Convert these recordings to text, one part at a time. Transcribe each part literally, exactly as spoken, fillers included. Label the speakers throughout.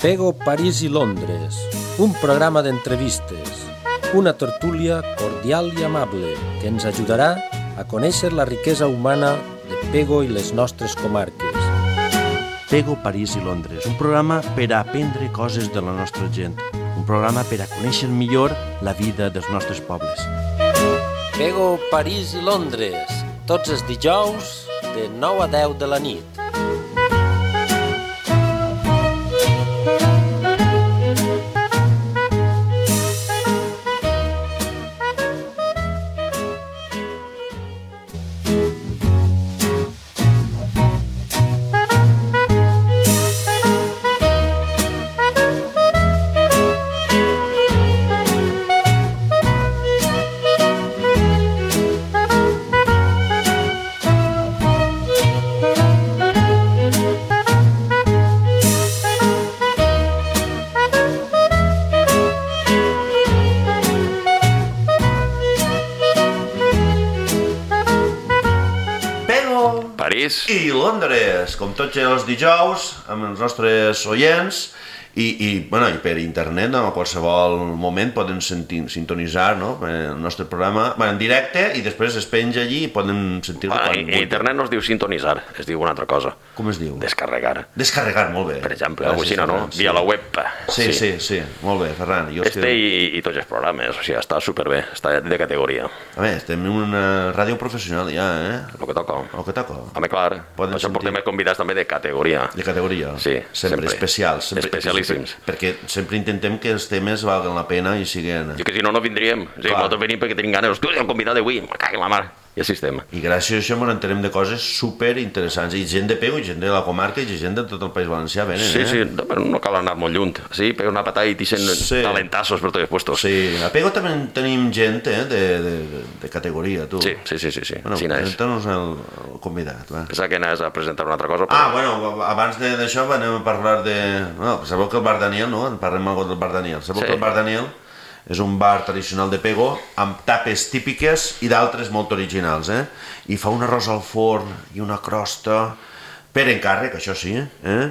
Speaker 1: Pego París i Londres, un programa d'entrevistes, una tertúlia cordial i amable que ens ajudarà a conèixer la riquesa humana de Pego i les nostres comarques.
Speaker 2: Pego París i Londres, un programa per a aprendre coses de la nostra gent, un programa per a conèixer millor la vida dels nostres pobles.
Speaker 1: Pego París i Londres, tots els dijous de nou a deu de la nit.
Speaker 3: I Londres, com tots els dijous, amb els nostres oients, i, i, bueno, i per internet, no? A qualsevol moment poden sentir, sintonitzar, no? El nostre programa, bueno, en directe, i després es penja allí i poden sentir-lo
Speaker 4: ah,
Speaker 3: quan
Speaker 4: vulguin. Internet no es diu sintonitzar, es diu una altra cosa.
Speaker 3: Com es diu?
Speaker 4: Descarregar.
Speaker 3: Descarregar, molt bé.
Speaker 4: Per exemple, alguna cosa, no?
Speaker 3: Sí.
Speaker 4: Via la web.
Speaker 3: Sí, sí, sí, sí. Molt bé, Ferran. Jo
Speaker 4: este que... i, i tots els programes, o sigui, està superbé, està de categoria.
Speaker 3: A més, estem en una ràdio professional ja, eh?
Speaker 4: El que toca.
Speaker 3: El que toca.
Speaker 4: Home, clar, poden això sentir... portem més convidats també de categoria.
Speaker 3: De categoria.
Speaker 4: Sí,
Speaker 3: sempre. Sempre especials. Sempre,
Speaker 4: especialíssims.
Speaker 3: Sempre, perquè sempre intentem que els temes valguen la pena i siguin...
Speaker 4: I que si no, no vindríem. O sigui, nosaltres venim perquè tenim ganes. Hosti, el convidat d'avui, me cago en la mar. I així estem.
Speaker 3: I gràcies a això ens entenem de coses super interessants. I gent de Pego, i gent de la comarca, i gent de tot el País Valencià venen,
Speaker 4: sí,
Speaker 3: eh?
Speaker 4: Sí, sí, però no cal anar molt lluny. Sí, pega una patada i t'ixen sí. Talentassos per tots els puestos.
Speaker 3: Sí, a Pego també tenim gent, eh, de, de, de categoria, tu.
Speaker 4: Sí, sí, sí, sí. sí.
Speaker 3: Bueno,
Speaker 4: sí
Speaker 3: presenta-nos el, el convidat, va.
Speaker 4: Pensava que anaves a presentar una altra cosa, però...
Speaker 3: Ah, bueno, abans d'això anem a parlar de... No, sabeu que el bar Daniel, no? Parlem algo del bar Daniel. Sabeu sí. que el bar Daniel és un bar tradicional de Pego amb tapes típiques i d'altres molt originals, eh? I fa un arròs al forn i una crosta per encàrrec, això sí, eh?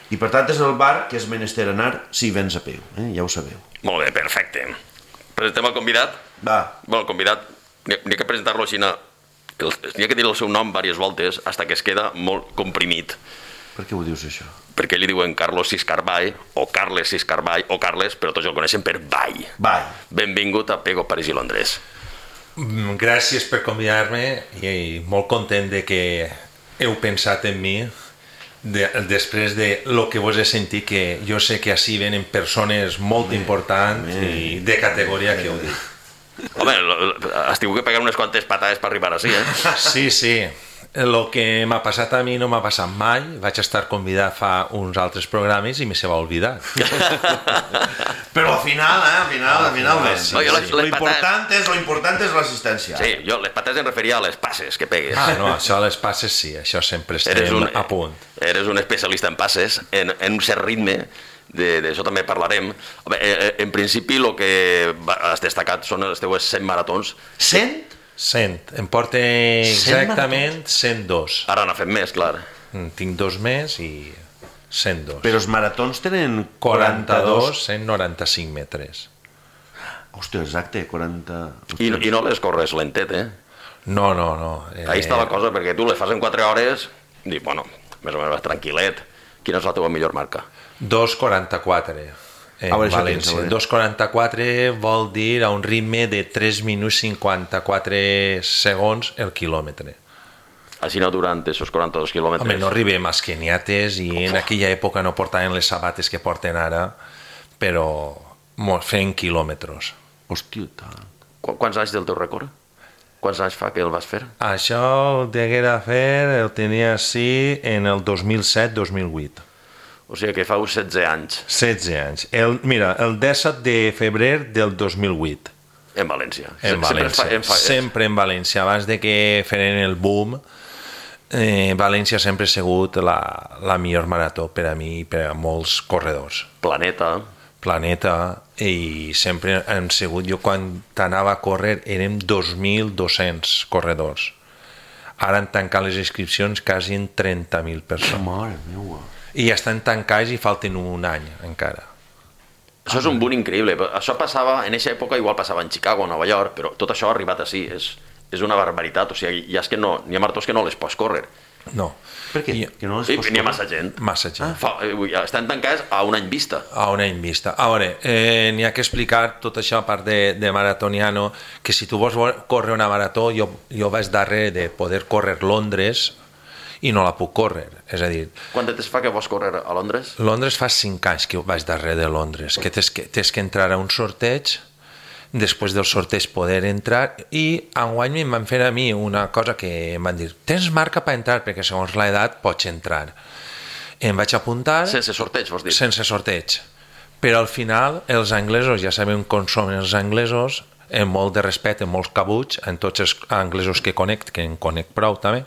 Speaker 3: I per tant és el bar que és menester anar si vens a Pego, eh? Ja ho sabeu.
Speaker 4: Molt bé, perfecte. Presentem el convidat?
Speaker 3: Va.
Speaker 4: Bueno, el convidat, n'hi ha que presentar-lo així, n'hi ha que dir el seu nom diverses voltes fins que es queda molt comprimit.
Speaker 3: Per què ho dius, això?
Speaker 4: Perquè li diuen Carlos Siscarball, o Carles Siscarball, o Carles, però tots el coneixen per Ball.
Speaker 3: Ball.
Speaker 4: Benvingut a Pego, París i Londres.
Speaker 5: Gràcies per convidar-me i molt content de que heu pensat en mi de, després de lo que vos he sentit, que jo sé que així venen persones molt importants i de categoria que heu dit.
Speaker 4: Home, has tingut que pegar unes quantes patades per arribar així, eh?
Speaker 5: Sí, sí. El que m'ha passat a mi no m'ha passat mai. Vaig estar convidat fa uns altres programes i me se va oblidar.
Speaker 3: Però al final, eh? Al final, al final...
Speaker 4: Sí, no, les,
Speaker 3: sí. Lo important és, lo important és l'assistència.
Speaker 4: Sí, jo les patades em referia a les passes que pegues.
Speaker 5: Ah, no, això les passes sí, això sempre estem un, a punt.
Speaker 4: Eres un especialista en passes, en, en un cert ritme, d'això també parlarem. Home, en principi el que has destacat són les teues cent maratons.
Speaker 3: cent?
Speaker 5: cent. Em porta exactament cent dos.
Speaker 4: Ara n'ha fet més, clar.
Speaker 5: Tinc dos més i cent dos.
Speaker 3: Però els maratons tenen
Speaker 5: quaranta-dos, cent noranta-cinc metres.
Speaker 3: Hòstia, exacte, quaranta...
Speaker 4: I, I no les corres lentet, eh?
Speaker 5: No, no, no.
Speaker 4: Eh... Ahí està la cosa, perquè tu les fas en quatre hores i, bueno, més o menys tranquil·let. Quina és la teva millor marca?
Speaker 5: dos quaranta-quatre. En València. dos quaranta-quatre vol dir a un ritme de tres minuts cinquanta-quatre segons el quilòmetre.
Speaker 4: Així no durant aquests quaranta-dos quilòmetres?
Speaker 5: Home, no arribem als keniates i en aquella època no portaven les sabates que porten ara, però fent quilòmetres.
Speaker 3: Hòstia, tant.
Speaker 4: Qu Quants anys del teu rècord? Quants anys fa que el vas fer?
Speaker 5: Això el deguera fer, el tenia així en el dos mil set dos mil vuit.
Speaker 4: O sigui que fa uns setze anys.
Speaker 5: setze anys. El, mira, el disset de febrer del dos mil vuit.
Speaker 4: En València.
Speaker 5: En València. Sempre, fa, sempre en València. Abans de que feren el boom, eh, València sempre ha sigut la, la millor marató per a mi i per a molts corredors.
Speaker 4: Planeta.
Speaker 5: Planeta. I sempre hem sigut, jo quan anava a córrer érem dos mil dos-cents corredors. Ara han tancat les inscripcions quasi en trenta mil persones.
Speaker 3: Mare meua.
Speaker 5: I ja estan tancats i falten un any encara.
Speaker 4: Això és un boom increïble. Això passava, en aquesta època igual passava en Chicago, Nova York, però tot això ha arribat així. És, és una barbaritat. O sigui, ja és que no, n'hi ha maratons que no les pots córrer.
Speaker 5: No.
Speaker 3: Per què?
Speaker 5: I,
Speaker 3: que no les
Speaker 4: I
Speaker 3: pots
Speaker 4: n'hi ha
Speaker 3: córrer?
Speaker 4: massa gent.
Speaker 5: Massa gent.
Speaker 4: Ah. Fa, estan tancats a un any vista.
Speaker 5: A un any vista. A veure, eh, n'hi ha que explicar tot això a part de, de maratoniano, que si tu vols córrer una marató, jo, jo vaig darrere de poder córrer Londres i no la puc córrer. És a dir,
Speaker 4: Quant de temps fa que vols córrer a Londres?
Speaker 5: Londres fa cinc anys que vaig darrere de Londres, que tens que, tens que entrar a un sorteig, després del sorteig poder entrar, i enguany em van fer a mi una cosa que em van dir, tens marca per entrar, perquè segons l'edat pots entrar. Em vaig apuntar...
Speaker 4: Sense sorteig, vols dir?
Speaker 5: Sense sorteig. Però al final, els anglesos, ja sabem com són els anglesos, amb molt de respecte, amb molts cabuts, en tots els anglesos que conec, que en conec prou també,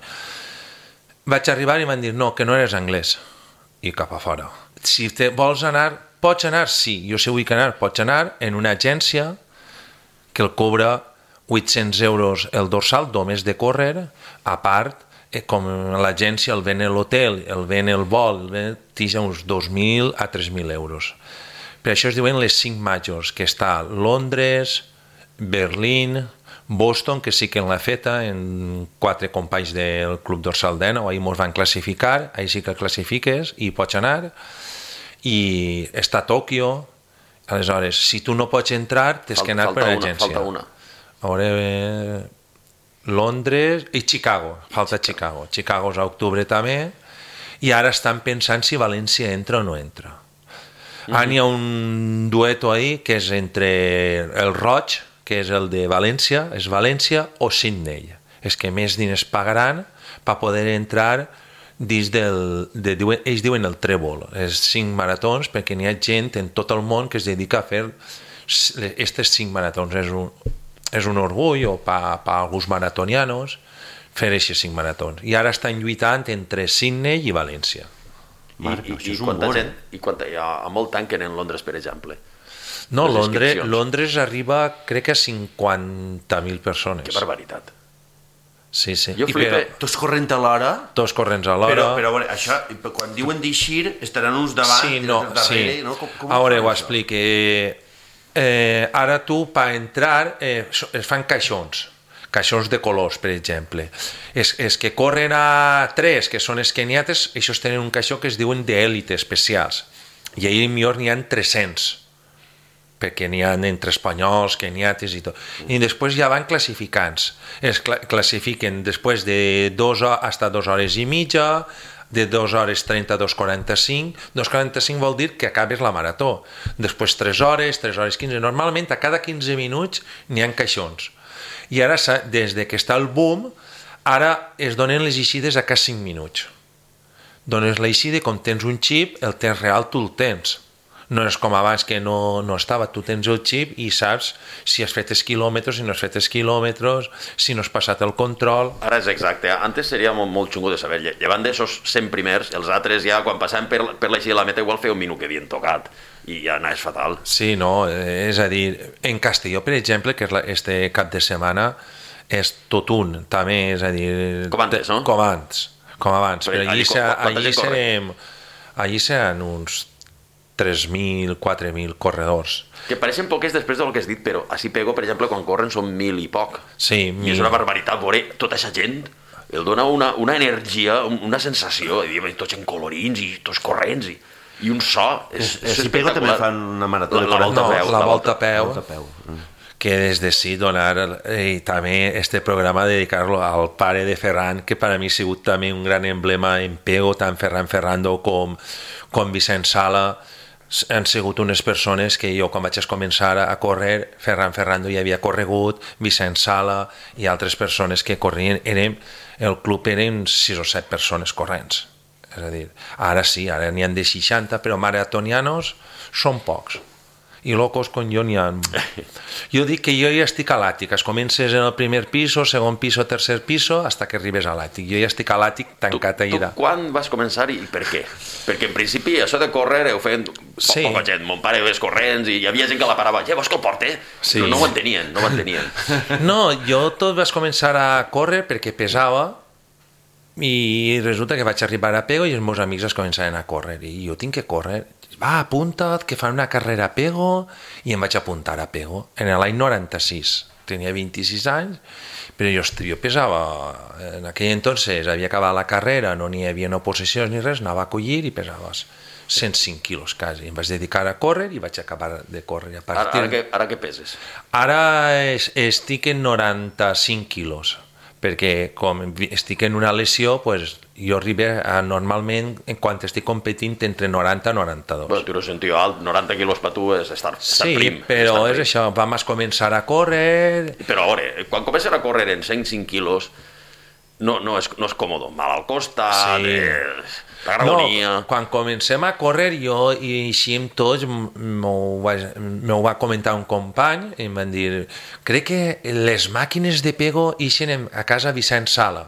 Speaker 5: vaig arribar i van dir, no, que no eres anglès. I cap a fora. Si te vols anar, pots anar? Sí, jo sé vull anar, pots anar en una agència que el cobra vuit-cents euros el dorsal, només de córrer, a part, eh, com l'agència el ven l'hotel, el ven el vol, el ven, tija uns dos mil a tres mil euros. Per això es diuen les cinc majors, que està Londres, Berlín, Boston, que sí que l'ha feta, en quatre companys del Club Dorsal d'Ena, ahir ens van classificar, ahir sí que classifiques i pots anar, i està Tòquio. Aleshores, si tu no pots entrar, tens que anar per l'agència.
Speaker 4: Falta una.
Speaker 5: A veure, eh, Londres i Chicago, falta Chicago. Chicago és a octubre també, i ara estan pensant si València entra o no entra. Mm-hmm. Ara hi ha un dueto ahí que és entre el Roig, que és el de València, és València o Sydney. És que més diners pagaran per poder entrar dins del... De, diuen, ells diuen el trèvol, és cinc maratons, perquè n'hi ha gent en tot el món que es dedica a fer aquestes cinc maratons. És un, és un orgull, o per pa alguns maratonianos, fer aquests cinc maratons. I ara estan lluitant entre Sydney i València.
Speaker 3: Marc,
Speaker 4: I, i,
Speaker 3: això
Speaker 4: i
Speaker 3: és un
Speaker 4: quanta
Speaker 3: món,
Speaker 4: gent, i quanta, hi ha, a molt tanquen en Londres, per exemple.
Speaker 5: No,
Speaker 4: Les
Speaker 5: Londres,
Speaker 4: inscripcions.
Speaker 5: Londres arriba, crec que a cinquanta mil persones.
Speaker 4: Que barbaritat.
Speaker 5: Sí, sí.
Speaker 4: Jo
Speaker 5: I
Speaker 4: flipe.
Speaker 5: però,
Speaker 3: Tots corrent a l'hora,
Speaker 5: tots corrents a l'hora.
Speaker 3: però, però a veure, això, quan diuen d'eixir, estaran uns davant
Speaker 5: Sí,
Speaker 3: i
Speaker 5: no,
Speaker 3: els darrere,
Speaker 5: sí.
Speaker 3: no? Com, com
Speaker 5: A veure,
Speaker 3: fan
Speaker 5: ho
Speaker 3: això?
Speaker 5: explique. Eh, ara tu, per entrar, eh, so- es fan caixons, caixons de colors, per exemple. És, és que corren a tres, que són esqueniates, aquests tenen un caixó que es diuen d'élite, especials. I ahir millor n'hi ha tres-cents, perquè n'hi ha entre espanyols, keniates i tot. I després ja van classificants. Es cla classifiquen després de dos hores hasta dos hores i mitja, de dos hores trenta a dos quaranta-cinc. dos quaranta-cinc vol dir que acabes la marató. Després tres hores, tres hores quinze. Normalment a cada quinze minuts n'hi ha caixons. I ara, des de que està el boom, ara es donen les eixides a cada cinc minuts. Dones l'eixida i com tens un xip, el temps real tu el tens. No és com abans que no, no estava, tu tens el xip i saps si has fet els quilòmetres, si no has fet els quilòmetres, si no has passat el control.
Speaker 4: Ara és exacte. Antes seria molt, molt xungo de saber. Llevant d'aixòs cent primers, els altres ja, quan passaven per, per l'eixida de la meta, igual feia un minut que havien tocat. I ja anaves fatal.
Speaker 5: Sí, no, és a dir, en Castelló, per exemple, que és la, este cap de setmana, és tot un, també, és a dir...
Speaker 4: Com antes, no?
Speaker 5: Com abans, com abans.
Speaker 4: Però
Speaker 5: Però allí,
Speaker 4: allí
Speaker 5: se,
Speaker 4: quanta
Speaker 5: allí,
Speaker 4: gent corre?
Speaker 5: serem, allí seran uns tres mil, quatre mil corredors.
Speaker 4: Que pareixen poques després del que has dit, però així Pego, per exemple, quan corren són mil i poc.
Speaker 5: Sí,
Speaker 4: I
Speaker 5: mil.
Speaker 4: és una barbaritat veure tota aquesta gent. El dona una, una energia, una sensació, de dir, tots en colorins i tots corrents i, i un so. És, és
Speaker 3: Si Pego també
Speaker 4: espectacular.
Speaker 3: fan una marató
Speaker 4: La,
Speaker 3: de
Speaker 4: la volta
Speaker 5: No,
Speaker 4: a peu.
Speaker 5: la volta a peu.
Speaker 3: Volta a peu. Mm.
Speaker 5: Que des de sí donar eh, també este programa dedicar-lo al pare de Ferran, que per a mi ha sigut també un gran emblema en Pego, tant Ferran Ferrando com, com Vicent Sala. Han sigut unes persones que jo quan vaig començar a córrer, Ferran Ferrando ja havia corregut, Vicent Sala i altres persones que corrien, érem, el club eren sis o set persones corrents. És a dir, ara sí, ara n'hi ha de seixanta, però maratonianos són pocs. I locos com jo n'hi ha... Jo dic que jo ja estic a l'àtic, es comences en el primer piso, segon piso, tercer piso, hasta que arribes a l'àtic. Jo ja estic a l'àtic tancat
Speaker 4: tu,
Speaker 5: allà.
Speaker 4: tu quan vas començar i per què? Perquè en principi això de córrer ho feien po
Speaker 5: Sí.
Speaker 4: poca gent. Mon pare ves corrents i hi havia gent que la parava. Ja, vols que el porte?
Speaker 5: Sí.
Speaker 4: Però no ho entenien, no ho entenien.
Speaker 5: No, jo tot vaig començar a córrer perquè pesava I resulta que vaig arribar a Pego i els meus amics es començaven a córrer i jo tinc que córrer. Va, apunta't, que fan una carrera a Pego, i em vaig apuntar a Pego en l'any noranta-sis. Tenia vint-i-sis anys, però jo, jo pesava, en aquell entonces havia acabat la carrera, no n'hi havia oposicions ni res, anava a collir i pesava cent cinc quilos quasi. Em vaig dedicar a córrer i vaig acabar de córrer. A partir...
Speaker 4: ara, ara, que, ara què peses?
Speaker 5: Ara es, estic en noranta-cinc quilos, perquè com estic en una lesió, pues, jo arribo a, normalment, quan estic competint, entre noranta i noranta-dos.
Speaker 4: Bueno, tu eres un tio alt, noranta quilos per tu és estar, estar
Speaker 5: sí,
Speaker 4: prim.
Speaker 5: Sí, però
Speaker 4: estar
Speaker 5: és
Speaker 4: prim.
Speaker 5: això, vam començar a córrer...
Speaker 4: Però a veure, quan comences a córrer en cent cinc quilos, no, no, és, no és còmode, mal al costat,
Speaker 5: sí.
Speaker 4: eh, l'agonia...
Speaker 5: No, quan comencem a córrer, jo i així amb tots, m'ho va, va comentar un company, i em van dir, crec que les màquines de Pego ixen a casa Vicent Sala.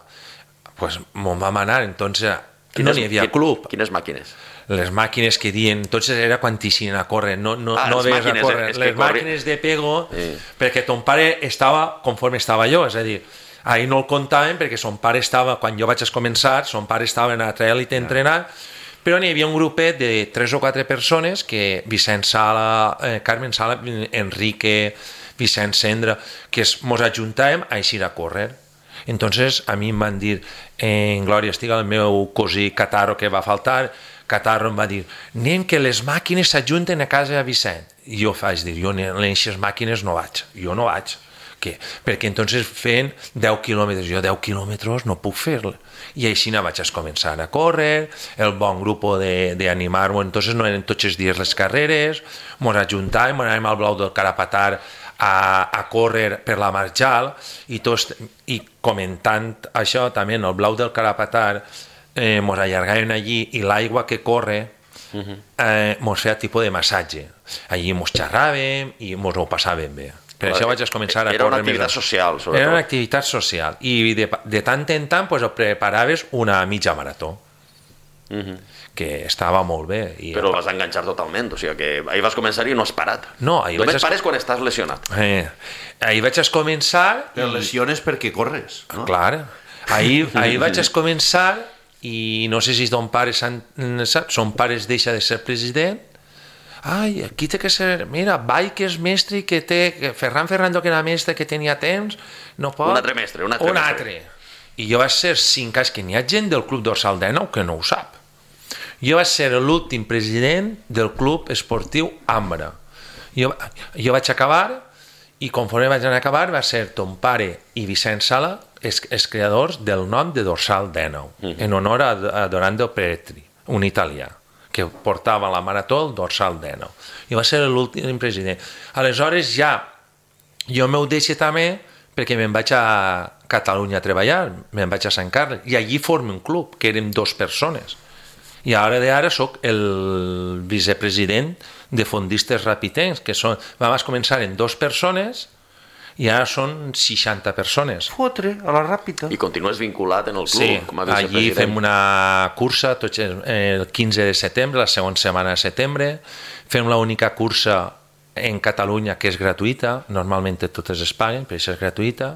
Speaker 5: Pues me'n vam anar, entonces no n'hi havia club.
Speaker 4: Quines màquines?
Speaker 5: Les màquines que diuen, entonces era quan t'ixien a córrer, no, no,
Speaker 4: ah,
Speaker 5: no veies a córrer.
Speaker 4: Eh,
Speaker 5: les
Speaker 4: corri...
Speaker 5: màquines de Pego,
Speaker 4: sí.
Speaker 5: Perquè ton pare estava conforme estava jo, és a dir, ahir no el comptaven perquè son pare estava, quan jo vaig començar, son pare estava en altra èlit entrenant, però n'hi havia un grupet de tres o quatre persones que Vicent Sala, eh, Carmen Sala, Enrique, Vicent Cendra, que es, mos ajuntàvem a eixir a córrer. Entonces a mi em van dir, en Glòria estiga el meu cosí Cataro que va faltar, Catarro em va dir, anem que les màquines s'ajunten a casa de Vicent. I jo vaig dir, jo en aquestes màquines no vaig, jo no vaig. Què? Perquè entonces feien deu quilòmetres, jo deu quilòmetres no puc fer-lo. I així vaig començar a córrer, el bon grup d'animar-ho, entonces no eren tots els dies les carreres, mos ajuntàvem, anàvem al Blau del Carapatar a, a córrer per la Marjal, i, tots, i comentant això també en el Blau del Carapatar, eh, mos allargàvem allí i l'aigua que corre eh, mos feia tipus de massatge. Allí mos xerràvem i mos ho passàvem bé. Per això vaig començar a
Speaker 4: era
Speaker 5: córrer
Speaker 4: una activitat
Speaker 5: més.
Speaker 4: social, sobretot.
Speaker 5: Era una activitat social. I de, de tant en tant pues, preparaves una mitja marató, uh-huh. que estava molt bé. I
Speaker 4: però vas enganxar totalment, o sigui que ahir vas començar i no has parat.
Speaker 5: No, ahir
Speaker 4: Només
Speaker 5: vaig...
Speaker 4: pares quan estàs lesionat.
Speaker 5: Eh, ahir vaig començar...
Speaker 3: Te lesiones perquè corres, no?
Speaker 5: Clar. Ahir, ahir vaig començar i no sé si ton pare sap, son pare deixa de ser president. Ai, aquí té que ser... Mira, Vall, que és mestre i que té... Que Ferran Ferrando, que era mestre, que tenia temps, no pot...
Speaker 4: Un altre mestre, un altre
Speaker 5: un
Speaker 4: mestre.
Speaker 5: altre. I jo vaig ser cinc anys, que n'hi ha gent del Club Dorsal dènou que no ho sap. Jo vaig ser l'últim president del Club Esportiu Ambra. Jo, jo vaig acabar, i conforme vaig anar a acabar, va ser ton pare i Vicent Sala els, els creadors del nom de Dorsal dènou, mm-hmm. en honor a, a Dorando Petri, un italià que portava la marató el Dorsal dènou. I va ser l'últim president. Aleshores ja jo m'ho deixo també perquè me'n vaig a Catalunya a treballar, me'n vaig a Sant Carles, i allí formem un club, que érem dos persones. I ara d'ara soc el vicepresident de fondistes rapitens, que són, vam començar en dos persones i ara són seixanta persones.
Speaker 3: Fotre, a la ràpida.
Speaker 4: I continues vinculat en el club
Speaker 5: Sí,
Speaker 4: com a vicepresident.
Speaker 5: allí fem una cursa tots el quinze de setembre, la segona setmana de setembre, fem l'única cursa en Catalunya que és gratuïta, normalment totes es paguen, però això és gratuïta,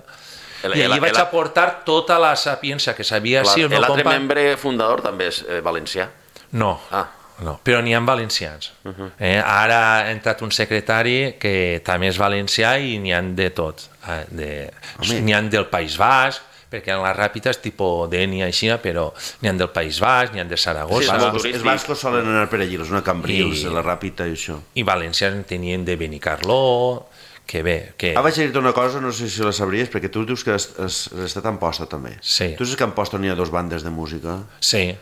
Speaker 4: El,
Speaker 5: i allí
Speaker 4: el,
Speaker 5: vaig
Speaker 4: el,
Speaker 5: aportar tota la sapiència que sabia si el meu
Speaker 4: L'altre
Speaker 5: company...
Speaker 4: membre fundador també és eh, valencià.
Speaker 5: No,
Speaker 4: Ah.
Speaker 5: no, però n'hi ha valencians. Uh-huh. eh, ara ha entrat un secretari que també és valencià i n'hi ha de tot. Eh, de, n'hi ha del País Basc, perquè en la ràpida és tipus d'Ènia i Xina, però n'hi ha del País Basc, n'hi ha de Saragossa.
Speaker 4: Sí, és molt
Speaker 3: Els bascos solen anar per allí, els una Cambrils,
Speaker 5: I-
Speaker 3: la ràpida i això.
Speaker 5: I valencians en tenien de Benicarló, que bé... Que...
Speaker 3: Ah, vaig a dir-te una cosa, no sé si la sabries, perquè tu dius que has, has, has estat a Amposta també.
Speaker 5: Sí.
Speaker 3: Tu saps que a Amposta n'hi ha dos bandes de música?
Speaker 5: Sí,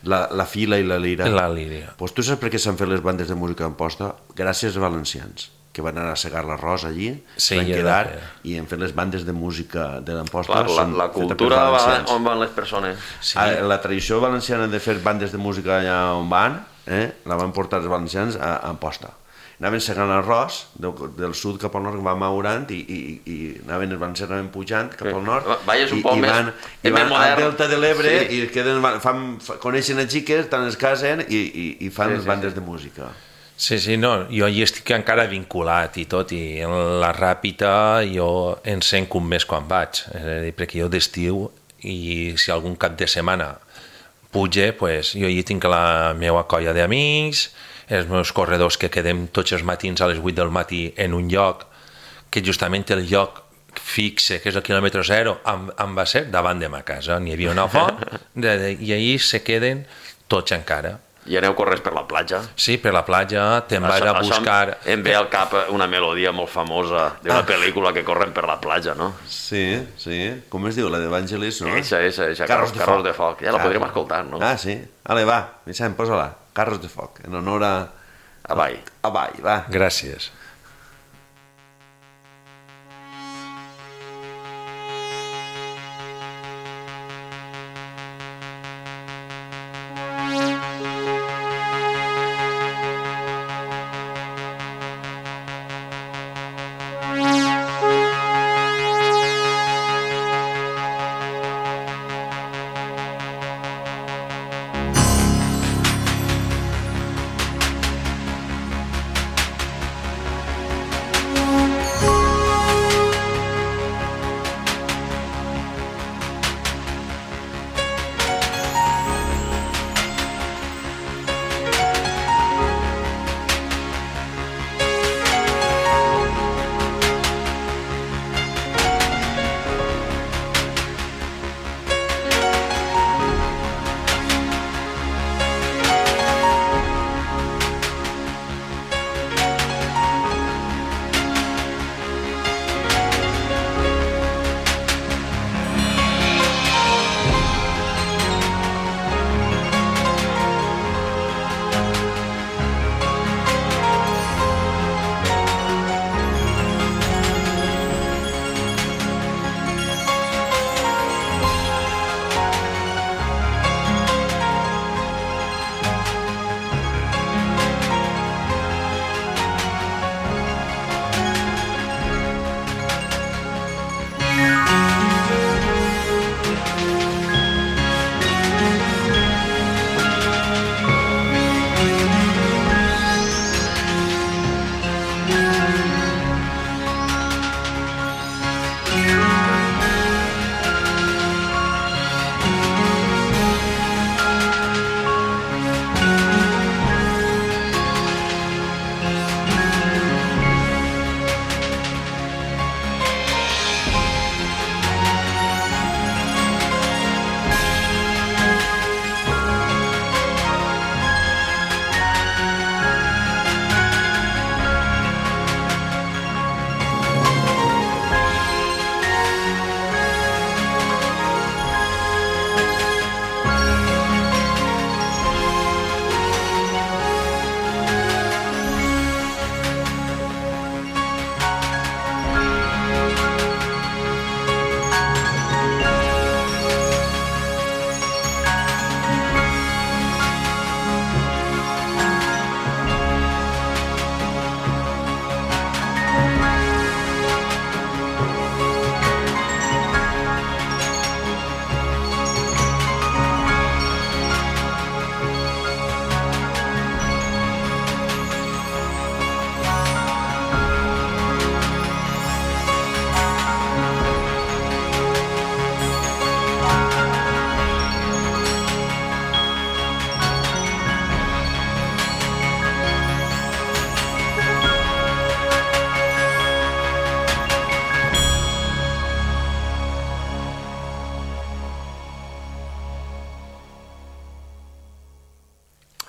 Speaker 3: La, la Fila i la Lira.
Speaker 5: la Líria.
Speaker 3: Pues tu saps per què s'han fet les bandes de música a Amposta? Gràcies als valencians, que van anar a segar l'arròs allí,
Speaker 5: Sí,
Speaker 3: van
Speaker 5: i
Speaker 3: quedar
Speaker 5: era-
Speaker 3: i han fet les bandes de música de l'Amposta.
Speaker 4: Clar, la,
Speaker 3: són
Speaker 4: la
Speaker 3: fetes per
Speaker 4: cultura va
Speaker 3: valencians.
Speaker 4: on van les persones.
Speaker 5: Sí.
Speaker 3: Ah, la tradició valenciana de fer bandes de música allà on van, eh, la van portar els valencians a, a Amposta. Anaven segant l'arròs del, del sud cap al nord, va maurant i, i, i anaven, els valencians anaven pujant cap al nord
Speaker 4: Va- vayas un
Speaker 3: i,
Speaker 4: poc
Speaker 3: i
Speaker 4: més-
Speaker 3: van,
Speaker 4: és
Speaker 3: i
Speaker 4: més
Speaker 3: van al
Speaker 4: modern.
Speaker 3: delta de l'Ebre
Speaker 4: Sí.
Speaker 3: i queden, fan, fa, coneixen a xiques, tant es casen i, i, i fan
Speaker 4: Sí,
Speaker 3: les
Speaker 4: sí,
Speaker 3: bandes
Speaker 4: sí.
Speaker 3: de música.
Speaker 5: Sí, sí, no, jo hi estic encara vinculat i tot, i en la ràpida jo en sent com més quan vaig, és a dir, perquè jo d'estiu i si algun cap de setmana puja, pues, jo hi tinc la meva colla d'amics, els meus corredors que quedem tots els matins a les vuit del matí en un lloc, que justament el lloc fixe, que és el quilòmetre zero, em, em va ser davant de ma casa. N'hi havia una font de, de, i ahir se queden tots encara.
Speaker 4: I aneu corrents per la platja?
Speaker 5: Sí, per la platja, te'n vas a buscar...
Speaker 4: Això em ve al cap una melodia molt famosa d'una ah. pel·lícula que corren per la platja, no?
Speaker 3: Sí, sí. Com es diu, la d'Evangelis, no?
Speaker 4: Eixa, eixa, eixa.
Speaker 3: Carros,
Speaker 4: Carros de
Speaker 3: foc.
Speaker 4: foc. Ja la podríem escoltar, no?
Speaker 3: Ah, sí. Ale, va, Vicent, posa-la. Carros de foc, en honor a...
Speaker 4: A Vall.
Speaker 3: A Vall, va.
Speaker 5: Gràcies.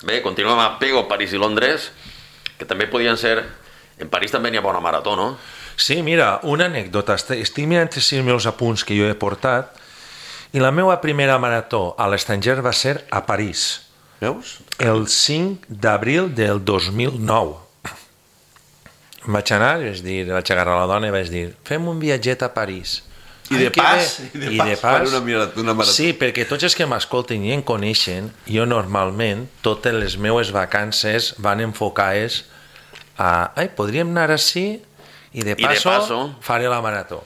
Speaker 4: Bé, continuem a Pego, París i Londres, que també podien ser... En París també n'hi ha bona marató, no?
Speaker 5: Sí, mira, una anècdota. Estic mirant els meus apunts que jo he portat i la meva primera marató a l'estranger va ser a París.
Speaker 3: Veus?
Speaker 5: El cinc d'abril del dos mil nou. Vaig anar, vaig dir, vaig agarrar la dona i vaig dir, fem un viatget a París.
Speaker 3: I de pas, i de pas, pas una, marató, una marató.
Speaker 5: Sí, perquè tots els que m'escolten i em coneixen, jo normalment, totes les meves vacances van enfocades a... Ai, podríem anar així i de passo,
Speaker 4: I de passo
Speaker 5: faré la marató.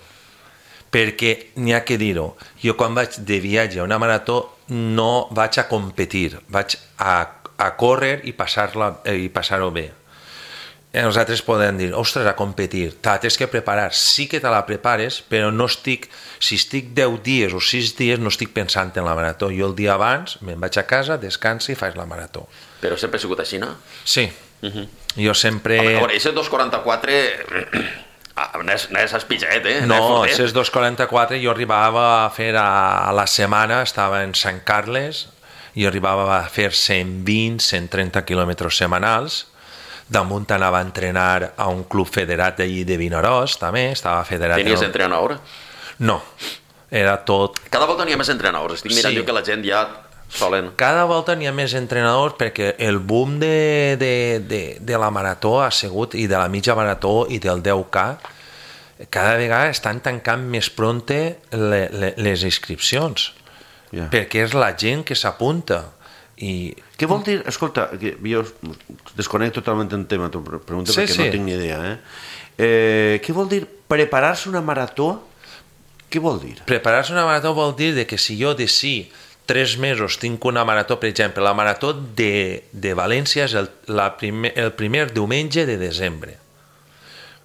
Speaker 5: Perquè n'hi ha que dir-ho. Jo quan vaig de viatge a una marató no vaig a competir, vaig a, a córrer i passar-la, i passar-ho bé. els altres poden dir, ostres, a competir, te la tens que preparar, sí que te la prepares, però no estic, si estic deu dies o sis dies no estic pensant en la marató, jo el dia abans me'n vaig a casa, descanso i faig la marató.
Speaker 4: Però sempre ha sigut així, no?
Speaker 5: Sí, uh-huh. Jo sempre...
Speaker 4: A veure, aquest dos quaranta-quatre no és, no és espitxet, eh?
Speaker 5: No, aquest dos quaranta-quatre jo arribava a fer a la setmana, estava en Sant Carles, i arribava a fer cent vint, cent trenta quilòmetres setmanals. Damunt anava a entrenar a un club federat d'allí de Vinaròs, també, estava federat...
Speaker 4: Tenies entrenador?
Speaker 5: No, era tot...
Speaker 4: Cada volta n'hi ha més entrenadors, estic mirant sí. que la gent ja solen...
Speaker 5: Cada volta n'hi ha més entrenadors perquè el boom de, de, de, de la marató ha sigut, i de la mitja marató i del deu K, cada vegada estan tancant més pronte le, le, les inscripcions, yeah. perquè és la gent que s'apunta. I...
Speaker 3: Què vol dir? Escolta, jo desconnecto totalment el tema, t'ho pregunto sí, perquè sí. no tinc ni idea. Eh? Eh, què vol dir preparar-se una marató? Què vol dir?
Speaker 5: Preparar-se una marató vol dir de que si jo de sí tres mesos tinc una marató, per exemple, la marató de, de València és el, la primer, el primer diumenge de desembre.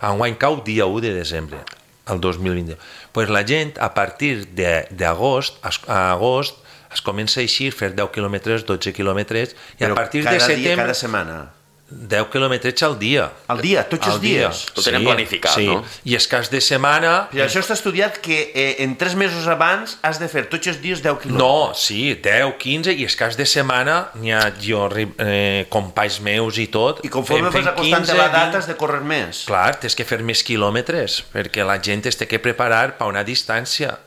Speaker 5: Enguany cau dia u de desembre, el dos mil vint. Pues la gent, a partir d'agost, a agost, es comença a eixir, fer deu quilòmetres, dotze quilòmetres, i
Speaker 3: però
Speaker 5: a partir
Speaker 3: cada
Speaker 5: de setembre...
Speaker 3: Dia, cada setmana?
Speaker 5: deu quilòmetres al dia.
Speaker 3: Al dia? Tots els dies?
Speaker 4: Ho tenen
Speaker 5: sí,
Speaker 4: planificat,
Speaker 5: sí.
Speaker 4: no?
Speaker 5: I és cas de setmana...
Speaker 3: I això està estudiat que eh, en tres mesos abans has de fer tots els dies deu quilòmetres.
Speaker 5: No, sí, deu, quinze, i és cas de setmana n'hi ha jo, eh, companys meus i tot...
Speaker 3: I conforme vas acostant de la data has de córrer més.
Speaker 5: Clar, tens que fer més quilòmetres, perquè la gent es té que preparar per una distància.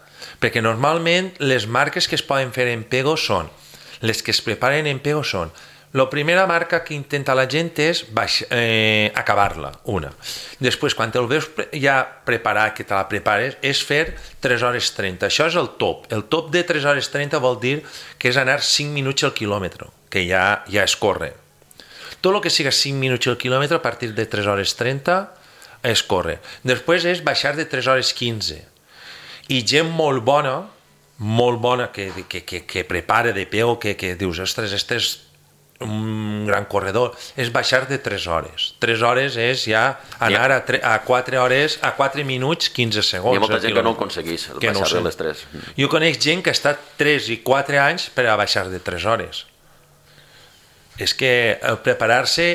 Speaker 5: Perquè normalment les marques que es poden fer en Pego són, les que es preparen en Pego són, la primera marca que intenta la gent és baix, eh, acabar-la, una. Després, quan el veus ja preparat, que te la prepares, és fer tres hores trenta. Això és el top. El top de tres hores trenta vol dir que és anar cinc minuts al quilòmetre, que ja, ja es corre. Tot el que siga cinc minuts al quilòmetre, a partir de tres hores trenta, es corre. Després és baixar de tres hores quinze. I gent molt bona, molt bona, que, que, que, que prepara de peu, que, que dius, ostres, este és un gran corredor, és baixar de tres hores. tres hores és ja anar a, tre, a quatre hores, a quatre minuts, quinze segons.
Speaker 4: Hi ha molta gent que no ho aconseguís, el baixar no de les tres.
Speaker 5: Jo conec gent que ha estat tres i quatre anys per a baixar de tres hores. És que el preparar-se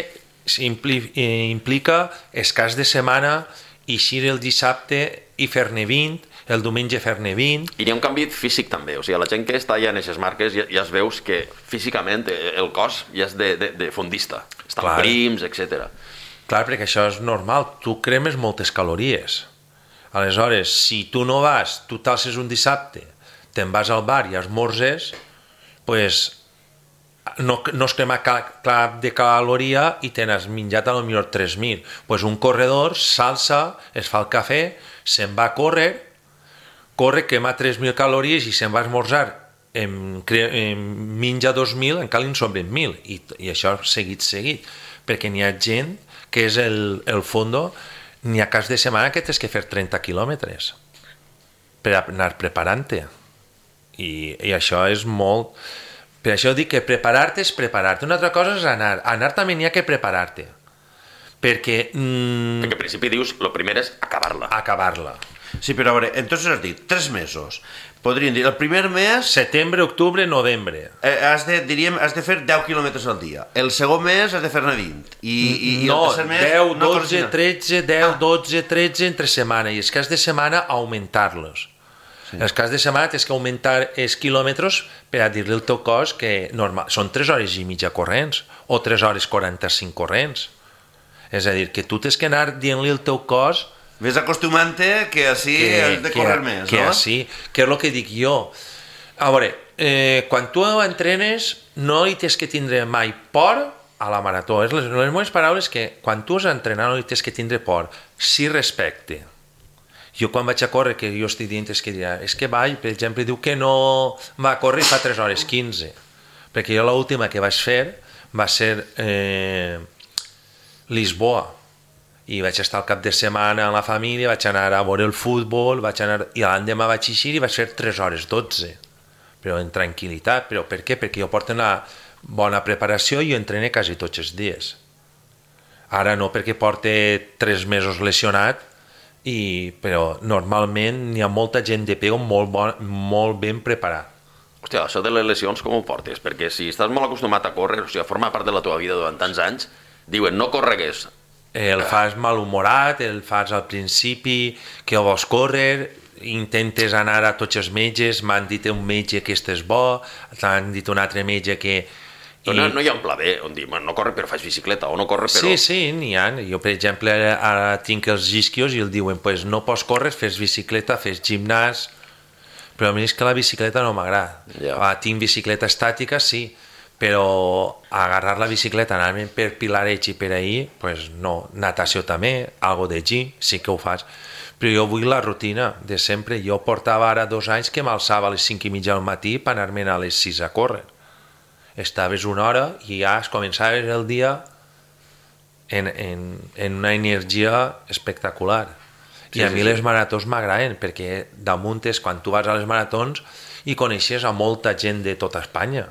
Speaker 5: implica escàs de setmana, eixir el dissabte i fer-ne vint, el diumenge fer-ne vint...
Speaker 4: I hi ha un canvi físic també, o sigui, la gent que està ja en aquestes marques ja, ja es veus que físicament el cos ja és de, de, de fondista, estan Clar. prims, etcètera.
Speaker 5: Clar, perquè això és normal, tu cremes moltes calories. Aleshores, si tu no vas, tu t'alces un dissabte, te'n vas al bar i esmorzes, pues, no, no es crema cap de caloria i te n'has menjat a lo millor tres mil. Pues un corredor s'alça, es fa el cafè, se'n va a córrer, corre, quema tres mil calories i se'n va a esmorzar, en, en menja dos mil, encara en sobren mil, i, i això seguit, seguit, perquè n'hi ha gent que és el, el fondo, n'hi ha cas de setmana que tens que fer trenta quilòmetres per anar preparant-te, i, i això és molt... Per això dic que preparar-te és preparar-te. Una altra cosa és anar. Anar també n'hi ha que preparar-te. Perquè... Mmm,
Speaker 4: perquè al principi dius, el primer és acabar-la.
Speaker 5: Acabar-la.
Speaker 3: Sí, però a veure, entonces has dit, tres mesos. Podríem dir, el primer mes...
Speaker 5: Setembre, octubre, novembre.
Speaker 3: Eh, has de, diríem, has de fer deu quilòmetres al dia. El segon mes has de fer-ne vint. I, i, i
Speaker 5: no,
Speaker 3: el tercer mes...
Speaker 5: deu, dotze, tretze, deu, dotze, tretze entre setmana. I els cas de setmana, augmentar-los. Sí. Els cas de setmana tens que augmentar els quilòmetres per a dir-li al teu cos que normal, són tres hores i mitja corrents o tres hores quaranta-cinc corrents. És a dir, que tu tens que anar dient-li al teu cos...
Speaker 3: Ves acostumant-te que així que, has de córrer
Speaker 5: que,
Speaker 3: més,
Speaker 5: que
Speaker 3: no?
Speaker 5: Així, que és el que dic jo. A veure, eh, quan tu entrenes no hi tens que tindre mai por a la marató. És les, les meves paraules que quan tu has d'entrenar no hi tens que tindre por. Sí respecte. Jo quan vaig a córrer, que jo estic dient, és que dirà, és que vaig, per exemple, diu que no va a córrer i fa tres hores quinze, perquè jo l'última que vaig fer va ser eh, Lisboa, i vaig estar al cap de setmana amb la família, vaig anar a veure el futbol, vaig anar, i l'endemà vaig eixir i vaig fer tres hores dotze, però en tranquil·litat. Però per què? Perquè jo porto una bona preparació i jo entreno quasi tots els dies. Ara no, perquè porta tres mesos lesionat, i, però normalment hi ha molta gent de pego molt, bon, molt ben preparat.
Speaker 4: Hòstia, això de les lesions com ho portes? Perquè si estàs molt acostumat a córrer, o sigui, forma part de la teva vida durant tants anys, diuen no corregues.
Speaker 5: El fas malhumorat, el fas al principi, que vols córrer, intentes anar a tots els metges, m'han dit un metge que estàs bo, t'han dit un altre metge que...
Speaker 4: I... No, no hi ha un pla B on dir, no corre però faig bicicleta, o no corre però...
Speaker 5: Sí, sí, n'hi ha. Jo, per exemple, ara tinc els isquios i el diuen, pues no pots córrer, fes bicicleta, fes gimnàs... Però a mi és que la bicicleta no m'agrada. Yeah. Ah, tinc bicicleta estàtica, sí, però agarrar la bicicleta, anar per Pilareig i per ahir, pues no. Natació també, algo de gym, sí que ho fas. Però jo vull la rutina de sempre. Jo portava ara dos anys que m'alçava a les cinc i mitja del matí per anar-me'n a les sis a córrer. Estaves una hora i ja es començaves el dia en, en, en una energia espectacular. I sí, a mi sí, les maratons m'agraden, perquè damunt és quan tu vas a les maratons i coneixes a molta gent de tota Espanya.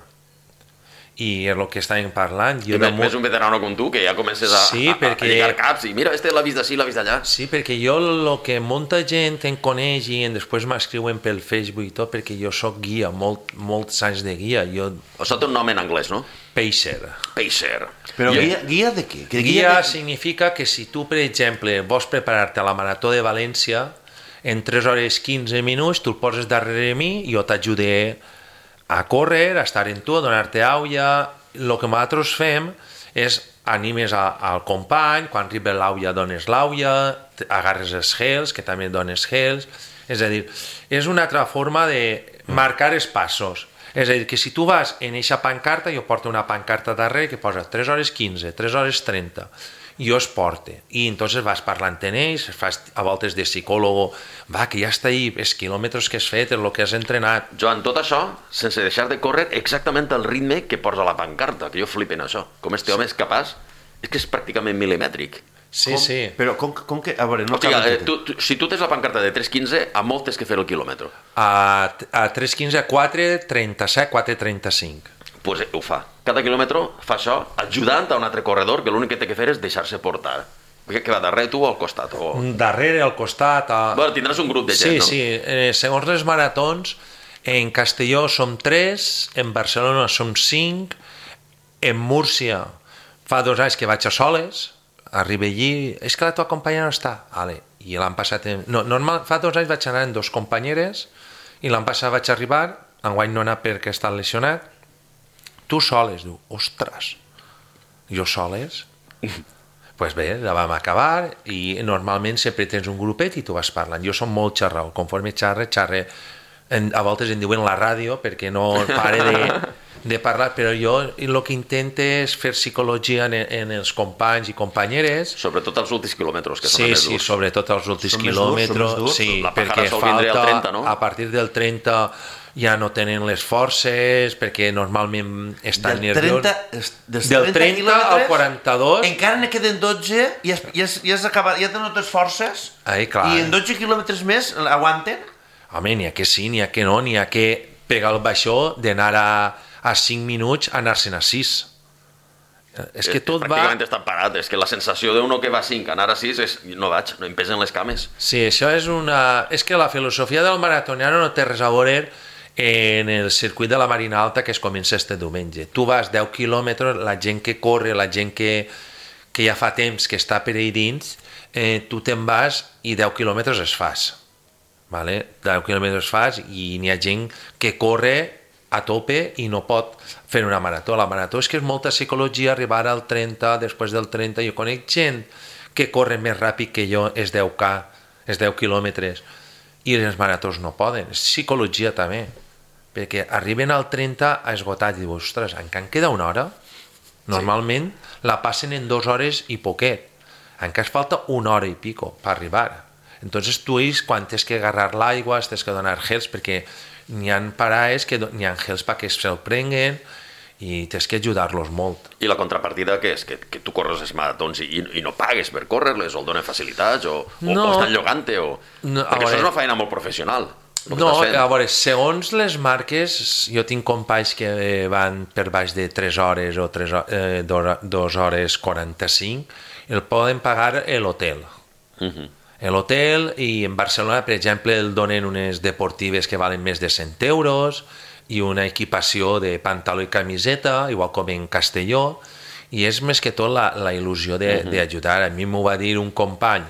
Speaker 5: I és el que estàvem parlant. Jo
Speaker 4: I damunt... més un veterano com tu, que ja comences a,
Speaker 5: sí,
Speaker 4: a, perquè... a lligar caps, i mira, este l'ha vist d'ací, l'ha vist d'allà.
Speaker 5: Sí, perquè jo el que molta gent em coneix i després m'escriuen pel Facebook i tot, perquè jo sóc guia, molt, molts anys de guia. Jo...
Speaker 4: Això té un nom en anglès, no?
Speaker 5: Pacer.
Speaker 4: Pacer.
Speaker 3: Però guia, guia de què?
Speaker 5: Que guia, guia de... significa que si tu, per exemple, vols preparar-te a la Marató de València, en tres hores quinze minuts tu el poses darrere mi i jo t'ajudaré a córrer, a estar en tu, a donar-te aulla. El que nosaltres fem és animes a, al company, quan arriba l'aulla dones l'aulla, agarres els gels, que també dones gels. És a dir, és una altra forma de marcar els passos. És a dir, que si tu vas en eixa pancarta, jo porto una pancarta darrere que posa tres hores quinze, tres hores trenta, jo es porte, i entonces vas parlant en ells, fas a voltes de psicòlogo, va, que ja està ahí, els quilòmetres que has fet, el que has entrenat.
Speaker 4: Joan, tot això, sense deixar de córrer exactament el ritme que posa la pancarta, que jo flipen això. Com este home és capaç, és que és pràcticament milimètric.
Speaker 5: Sí,
Speaker 3: com?
Speaker 5: sí.
Speaker 3: Però com, com que... A veure, no
Speaker 4: Hòstia, eh, tu, tu, si tu tens la pancarta de tres quinze, a molt tens que fer el quilòmetre.
Speaker 5: A, a tres quinze, quatre trenta-set, quatre trenta-cinc.
Speaker 4: Doncs pues, eh, ho fa. Cada quilòmetre fa això, ajudant a un altre corredor que l'únic que té que fer és deixar-se portar. Que, que va darrere tu o al costat? O...
Speaker 5: Darrere, al costat... A...
Speaker 4: Bueno, tindràs un grup de gent,
Speaker 5: sí,
Speaker 4: no?
Speaker 5: Sí, sí. Eh, segons les maratons, en Castelló som tres, en Barcelona som cinc, en Múrcia fa dos anys que vaig a soles, arriba allí, és que la teva companya no està, vale. I l'han passat en... no, normal, fa dos anys vaig anar amb dos companyeres i l'han passat vaig arribar, enguany no anar perquè està lesionat, tu soles, diu, ostres, jo soles? Pues bé, la vam acabar i normalment sempre tens un grupet i tu vas parlant. Jo som molt xarrau, conforme xarre, xarre, en, a voltes em diuen la ràdio perquè no pare de, de parlar, però jo el que intento és fer psicologia en, en els companys i companyeres.
Speaker 4: Sobretot els últims quilòmetres, que
Speaker 5: sí,
Speaker 4: són més
Speaker 5: sí,
Speaker 4: durs.
Speaker 5: Sí, sobretot els últims
Speaker 3: són
Speaker 5: quilòmetres,
Speaker 3: durs,
Speaker 5: sí,
Speaker 4: la
Speaker 5: perquè
Speaker 4: falta,
Speaker 5: al
Speaker 4: trenta, no?
Speaker 5: A partir del trenta ja no tenen les forces, perquè normalment estan nerviosos. Del trenta al quaranta-dos...
Speaker 3: Encara ne queden dotze i has, i has, i has acabat, ja tenen totes forces.
Speaker 5: Ai, clar.
Speaker 3: I en dotze quilòmetres més aguanten?
Speaker 5: Home, n'hi ha que sí, n'hi ha que no, n'hi ha que pegar el baixó d'anar a, a cinc minuts a anar-se'n a sis. És que tot va...
Speaker 4: Pràcticament està parat, és que la sensació d'uno que va a cinc, anar a sis, és no vaig, no em pesen les cames.
Speaker 5: Sí, això és una... És que la filosofia del maratoniano no té res a veure en el circuit de la Marina Alta que es comença este diumenge. Tu vas deu quilòmetres, la gent que corre, la gent que, que ja fa temps que està per ahí dins, eh, tu te'n vas i deu quilòmetres es fas. Vale? deu quilòmetres fas i n'hi ha gent que corre a tope i no pot fer una marató. La marató és que és molta psicologia, arribar al trenta, després del trenta, jo conec gent que corre més ràpid que jo, és deu K, és deu quilòmetres, i les maratons no poden, és psicologia també, perquè arriben al trenta a esgotat i diu, ostres, encara en queda una hora? Normalment sí. La passen en dues hores i poquet, encara es falta una hora i pico per arribar. Entonces tu ells, quan tens que agarrar l'aigua, tens que donar gels, perquè n'hi ha parades que n'hi ha gels perquè se'l prenguen i tens que ajudar-los molt.
Speaker 4: I la contrapartida què és? Que, que tu corres els maratons i, i no pagues per córrer-les, o el donen facilitats, o, o, no. o estan llogant-te, o... No, perquè això és una feina molt professional.
Speaker 5: No, a veure, segons les marques, jo tinc companys que van per baix de tres hores o dos hores quaranta-cinc, el poden pagar l'hotel. Uh-huh. L'hotel, i en Barcelona, per exemple, el donen unes deportives que valen més de cent euros i una equipació de pantaló i camiseta, igual com en Castelló, i és més que tot la, la il·lusió d'ajudar. Uh-huh. A mi m'ho va dir un company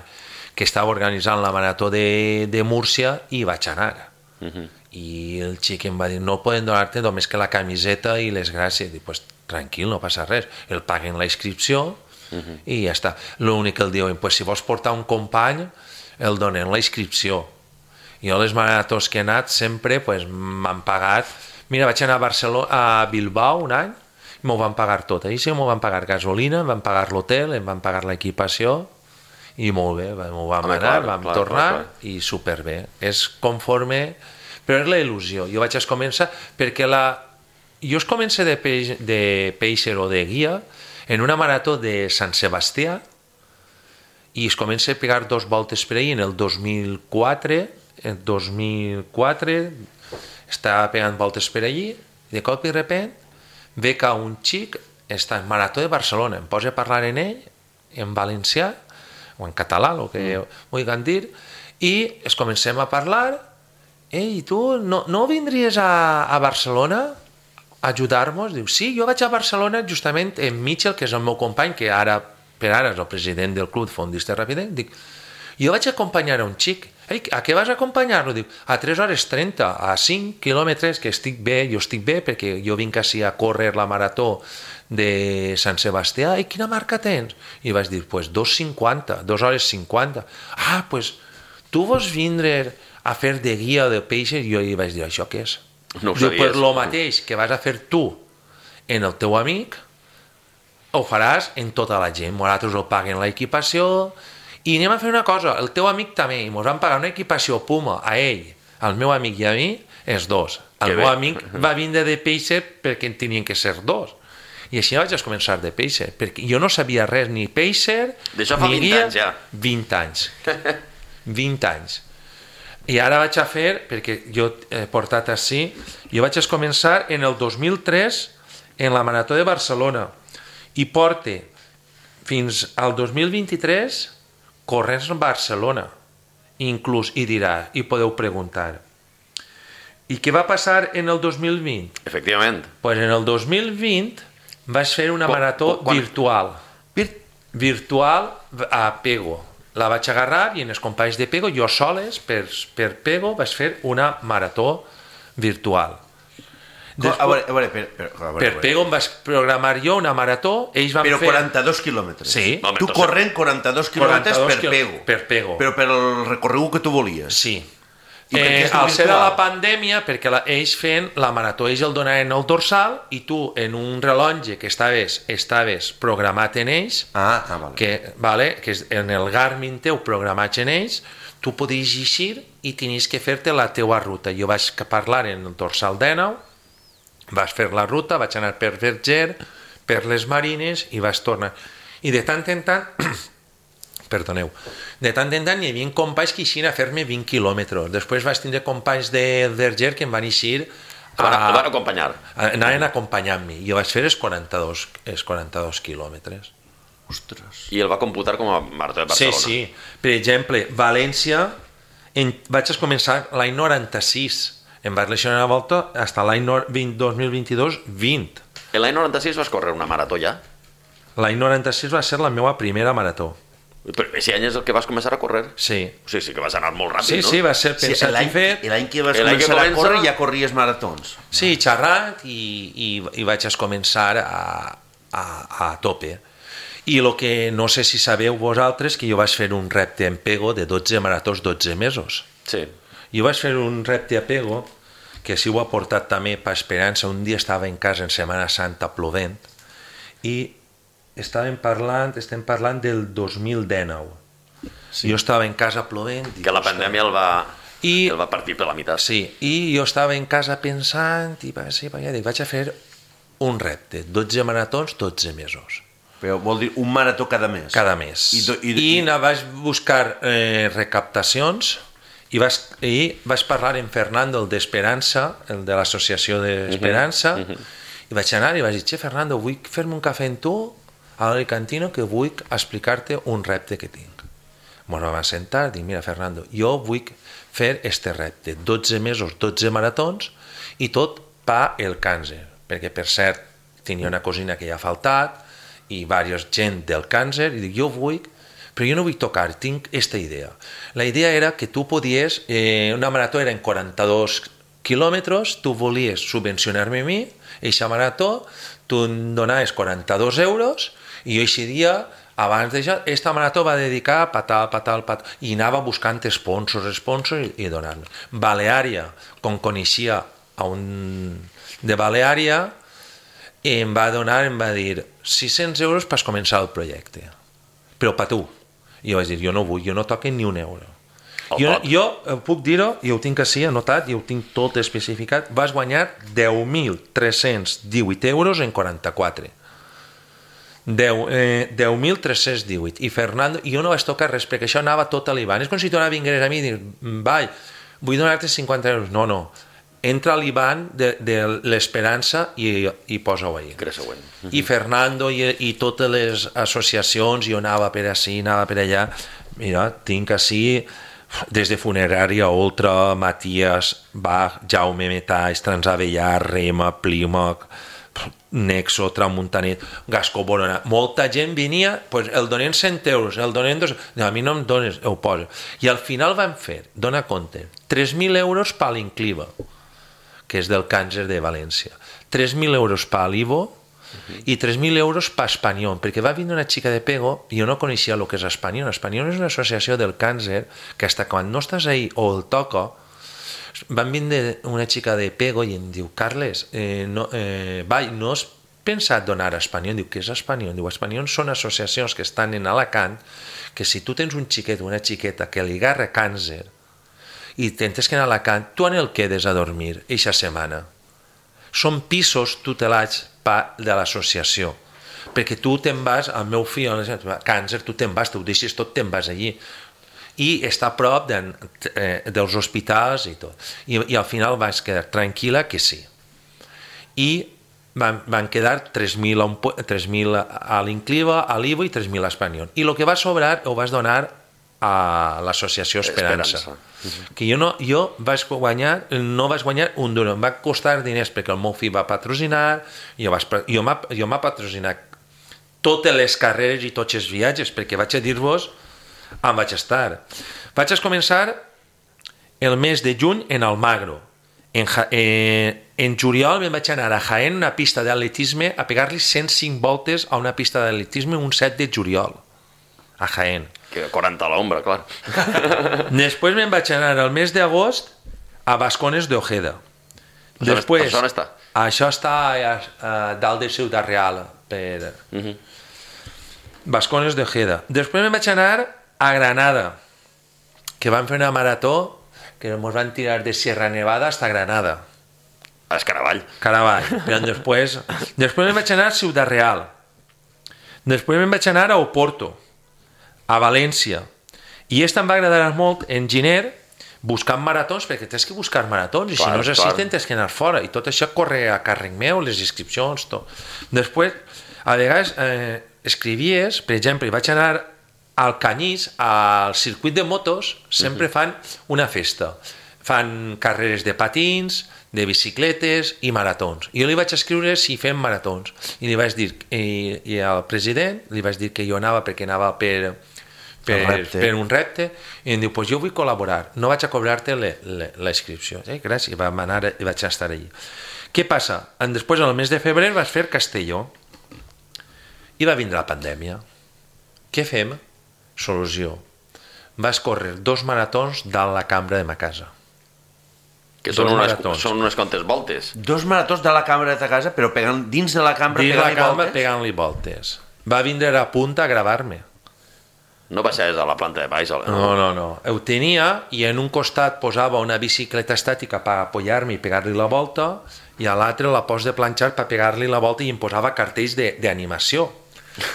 Speaker 5: que estava organitzant la marató de, de Múrcia i vaig anar. Uh-huh. I el xic em va dir, no poden donar-te només que la camiseta i les gràcies. Dic, pues tranquil, no passa res. El paguen la inscripció uh-huh. i ja està. L'únic que el diuen, pues si vols portar un company, el donen la inscripció. Jo les maratons que he anat sempre pues, m'han pagat. Mira, vaig anar a Barcelona, a Bilbao un any, m'ho van pagar tot. Ahir sí m'ho van pagar gasolina, em van pagar l'hotel, em van pagar l'equipació, i molt bé, m'ho vam Home, anar, clar, vam clar, tornar clar, clar. I superbé. És conforme, però és la il·lusió. Jo vaig començar, perquè la... jo es començo de, peix, de peixer o de guia en una marató de Sant Sebastià i es comença a pegar dos voltes per ahir en el dos mil quatre, el dos mil quatre estava pegant voltes per allí i de cop i repent ve que un xic està en marató de Barcelona, em posa a parlar en ell en valencià o en català, el que mm. vulguin dir, i es comencem a parlar. Ei, tu no, no vindries a, a Barcelona a ajudar-nos? Diu, sí, jo vaig a Barcelona justament en Mitchell, que és el meu company, que ara per ara és el president del club Fondista Ràpidament. Dic, jo vaig acompanyar a un xic. Ei, a què vas acompanyar-lo? Diu, a tres hores trenta, a cinc quilòmetres, que estic bé, jo estic bé, perquè jo vinc així a córrer la marató de Sant Sebastià. I quina marca tens? I vaig dir, pues dos cinquanta, dos hores cinquanta. Ah, pues tu vols vindre a fer de guia de peixes? I jo hi vaig dir, això què és?
Speaker 4: No ho
Speaker 5: Diu,
Speaker 4: sabies.
Speaker 5: pues lo mateix que vas a fer tu en el teu amic, ho faràs en tota la gent. Nosaltres ho paguen l'equipació i anem a fer una cosa, el teu amic també, i ens van pagar una equipació Puma a ell, al meu amic i a mi, els dos. El meu amic va vindre de peixer perquè en tenien que ser dos. I així vaig començar de peixer, perquè jo no sabia res, ni peixer,
Speaker 4: d'això fa
Speaker 5: ni
Speaker 4: vint
Speaker 5: guia,
Speaker 4: anys ja.
Speaker 5: vint anys. vint anys. I ara vaig a fer, perquè jo he portat així, jo vaig començar en el dos mil tres en la Marató de Barcelona i porte fins al dos mil vint-i-tres corrents a Barcelona. Inclús, i dirà, i podeu preguntar, i què va passar en el dos mil vint?
Speaker 4: Efectivament.
Speaker 5: Pues en el dos mil vint vaig fer una marató quan, quan... virtual. Vir... Virtual a Pego. La vaig agarrar i en els companys de Pego, jo soles, per, per Pego, vaig fer una marató virtual.
Speaker 3: Després, a veure, a veure, per, per, a veure,
Speaker 5: per Pego em vaig programar jo una marató, ells van
Speaker 3: però
Speaker 5: fer...
Speaker 3: quaranta-dos quilòmetres.
Speaker 5: Sí.
Speaker 3: No, tu corrent quaranta-dos quilòmetres per
Speaker 5: quil...
Speaker 3: Pego.
Speaker 5: Per Pego.
Speaker 3: Però per el recorregut que tu volies.
Speaker 5: Sí.
Speaker 3: I
Speaker 5: eh, al ser a la pandèmia, perquè la, ells feien la marató, ells el donaven el dorsal i tu en un rellotge que estaves, estaves programat en ells,
Speaker 3: ah, ah, vale.
Speaker 5: que, vale, que en el Garmin teu programat en ells, tu podies eixir i tenies que fer-te la teua ruta. Jo vaig parlar en el dorsal dinou, vaig fer la ruta, vaig anar per Verger, per les Marines i vaig tornar. I de tant en tant... perdoneu, de tant en tant hi havia companys que eixien a fer-me vint quilòmetres. Després vaig tindre companys de Verger que em van eixir
Speaker 4: a... El van acompanyar.
Speaker 5: Anaven acompanyant-me. Jo vaig fer els quaranta-dos, els quaranta-dos quilòmetres.
Speaker 3: Ostres.
Speaker 4: I el va computar com a marató de Barcelona.
Speaker 5: Sí, sí. Per exemple, València, en... vaig començar l'any noranta-sis. Em vaig lesionar una volta fins l'any dos mil vint-i-dos, vint.
Speaker 4: L'any noranta-sis vas córrer una marató ja?
Speaker 5: L'any noranta-sis va ser la meva primera marató.
Speaker 4: Però aquest any és el que vas començar a córrer?
Speaker 5: Sí.
Speaker 4: O sigui, sí que vas anar molt ràpid,
Speaker 5: sí,
Speaker 4: no?
Speaker 5: Sí, va ser pensat
Speaker 3: sí,
Speaker 5: i fet.
Speaker 3: I l'any que vas començar que comença... a córrer ja corries maratons.
Speaker 5: Sí, xerrat i, i, i vaig començar a, a, a tope. I el que no sé si sabeu vosaltres, que jo vaig fer un repte en Pego de dotze maratons, dotze mesos.
Speaker 4: Sí.
Speaker 5: Jo vaig fer un repte a Pego, que si ho ha portat també per Esperança. Un dia estava en casa en Setmana Santa plovent i estàvem parlant, estem parlant del dos mil dinou. Sí. Jo estava en casa plovent.
Speaker 4: Que la pandèmia el va, I, el va partir per la meitat.
Speaker 5: Sí, i jo estava en casa pensant i va, sí, va, ja dic, vaig a fer un repte, dotze maratons, dotze mesos.
Speaker 3: Però vol dir un marató cada mes?
Speaker 5: Cada mes.
Speaker 3: I, do, i,
Speaker 5: I, i vaig buscar eh, recaptacions I, vas, i vaig parlar amb Fernando, el d'Esperança, el de l'associació d'Esperança, uh -huh. uh -huh. i vaig anar i vaig dir, che, Fernando, vull fer-me un cafè amb tu a l'Alicantino que vull explicar-te un repte que tinc. Ens vam sentar, dic, mira, Fernando, jo vull fer este repte, dotze mesos, dotze maratons, i tot per el càncer, perquè, per cert, tenia una cosina que ja ha faltat, i diversa gent del càncer, i dic, jo vull, però jo no vull tocar, tinc aquesta idea. La idea era que tu podies, eh, una marató era en quaranta-dos quilòmetres, tu volies subvencionar-me a mi, eixa marató, tu em donaves quaranta-dos euros, i jo eixe dia, abans d'això, aquesta marató va dedicar a patal, patal, patal, i anava buscant sponsors, sponsors, i, i donar-me. Baleària, com coneixia a un de Baleària, em va donar, em va dir sis-cents euros per començar el projecte, però per tu. I jo vaig dir, jo no vull, jo no toque ni un euro. Jo, jo puc dir-ho, i ho tinc així anotat, i ho tinc tot especificat, vas guanyar deu mil tres-cents divuit euros en quaranta-quatre. deu mil tres-cents divuit. I Fernando, i jo no vaig tocar res, perquè això anava tot a l'I B A N. És com si tu ara vingueres a mi i dir, vai, vull donar-te cinquanta euros. No, no. Entra a l'I B A N de, de l'Esperança i, i posa-ho ahí. I Fernando i, i totes les associacions, jo anava per ací, anava per allà, mira, tinc ací des de Funerària, Ultra, Matías, Bach, Jaume Metalls, Transavellà, Rema, Plímac, Nexo, Tramuntanet, Gascó Borona, molta gent venia, pues el donen cent euros, el donen dos, no, a mi no em dones, ho poso. I al final van fer, dona compte, tres mil euros per l'Incliva, que és del càncer de València, tres mil euros per l'Ivo uh-huh. i tres mil euros per Espanyol, perquè va vindre una xica de Pego i jo no coneixia el que és Espanyol. Espanyol és una associació del càncer que fins quan no estàs ahí o el toca, van vindre una xica de Pego i em diu, Carles, eh, no, eh, vai, no has pensat donar a Espanyol? Diu, què és Espanyol? Diu, Espanyol són associacions que estan en Alacant, que si tu tens un xiquet o una xiqueta que li agarra càncer i tens que anar a Alacant, tu en el quedes a dormir eixa setmana. Són pisos tutelats de l'associació, perquè tu te'n vas, el meu fill, càncer, tu te'n vas, tu ho deixes tot, te'n vas allí. I està a prop de, eh, dels hospitals i tot. I, i al final vas quedar tranquil·la que sí. I van, van quedar tres mil a l'Incliva, a l'Ivo i tres mil a Espanyol. I el que va sobrar ho vas donar a l'associació Esperança. Esperança. Uh-huh. Que jo, no, jo vaig guanyar, no vaig guanyar un duro, em va costar diners perquè el meu fill va patrocinar, jo, vaig, jo m'ha jo m'ha patrocinat totes les carreres i tots els viatges, perquè vaig a dir-vos on vaig estar. Vaig començar el mes de juny en Almagro. En, eh, en juliol me'n vaig anar a Jaén, una pista d'atletisme, a pegar-li cent cinc voltes a una pista d'atletisme un set de juliol, a Jaén.
Speaker 4: Que quaranta a l'ombra, clar.
Speaker 5: Després me'n vaig anar el mes d'agost a Bascones de Ojeda. Després,
Speaker 4: això on està?
Speaker 5: Això està a, a dalt de Ciutat Real, per uh-huh. Bascones de Ojeda. Després me'n vaig anar a Granada, que van fer una marató que ens van tirar de Sierra Nevada hasta Granada.
Speaker 4: A Escaravall.
Speaker 5: Caravall. Però després, després me'n vaig anar a Ciutat Real. Després me'n vaig anar a Oporto, a València. I aquesta em va agradar molt en Giner, buscant maratons, perquè tens que buscar maratons, i clar, si no és així tens que anar fora. I tot això corre a càrrec meu, les inscripcions, tot. Després, a vegades, eh, escrivies, per exemple, vaig anar al Canyís, al circuit de motos, sempre fan una festa. Fan carreres de patins, de bicicletes i maratons. I jo li vaig escriure si fem maratons. I li vaig dir, i, i al president li vaig dir que jo anava perquè anava per, per, per un repte, i em diu, pues jo vull col·laborar, no vaig a cobrar-te la inscripció. Eh, gràcies, i vam anar, i vaig estar allí. Què passa? Després, al mes de febrer, vas fer Castelló, i va vindre la pandèmia. Què fem? Solució. Vas córrer dos maratons dalt la cambra de ma casa.
Speaker 4: Que són unes, són unes quantes voltes.
Speaker 3: Dos maratons de la cambra de ta casa, però pegant, dins de la cambra
Speaker 5: dins
Speaker 3: pegant-li
Speaker 5: la cambra,
Speaker 3: voltes?
Speaker 5: Pegant-li voltes. Va vindre a punta a gravar-me.
Speaker 4: No baixaves a la planta de baix? No,
Speaker 5: no, no. no. Ho tenia, i en un costat posava una bicicleta estàtica per apoyar-me i pegar-li la volta, i a l'altre la pos de planxar per pegar-li la volta, i em posava cartells d'animació.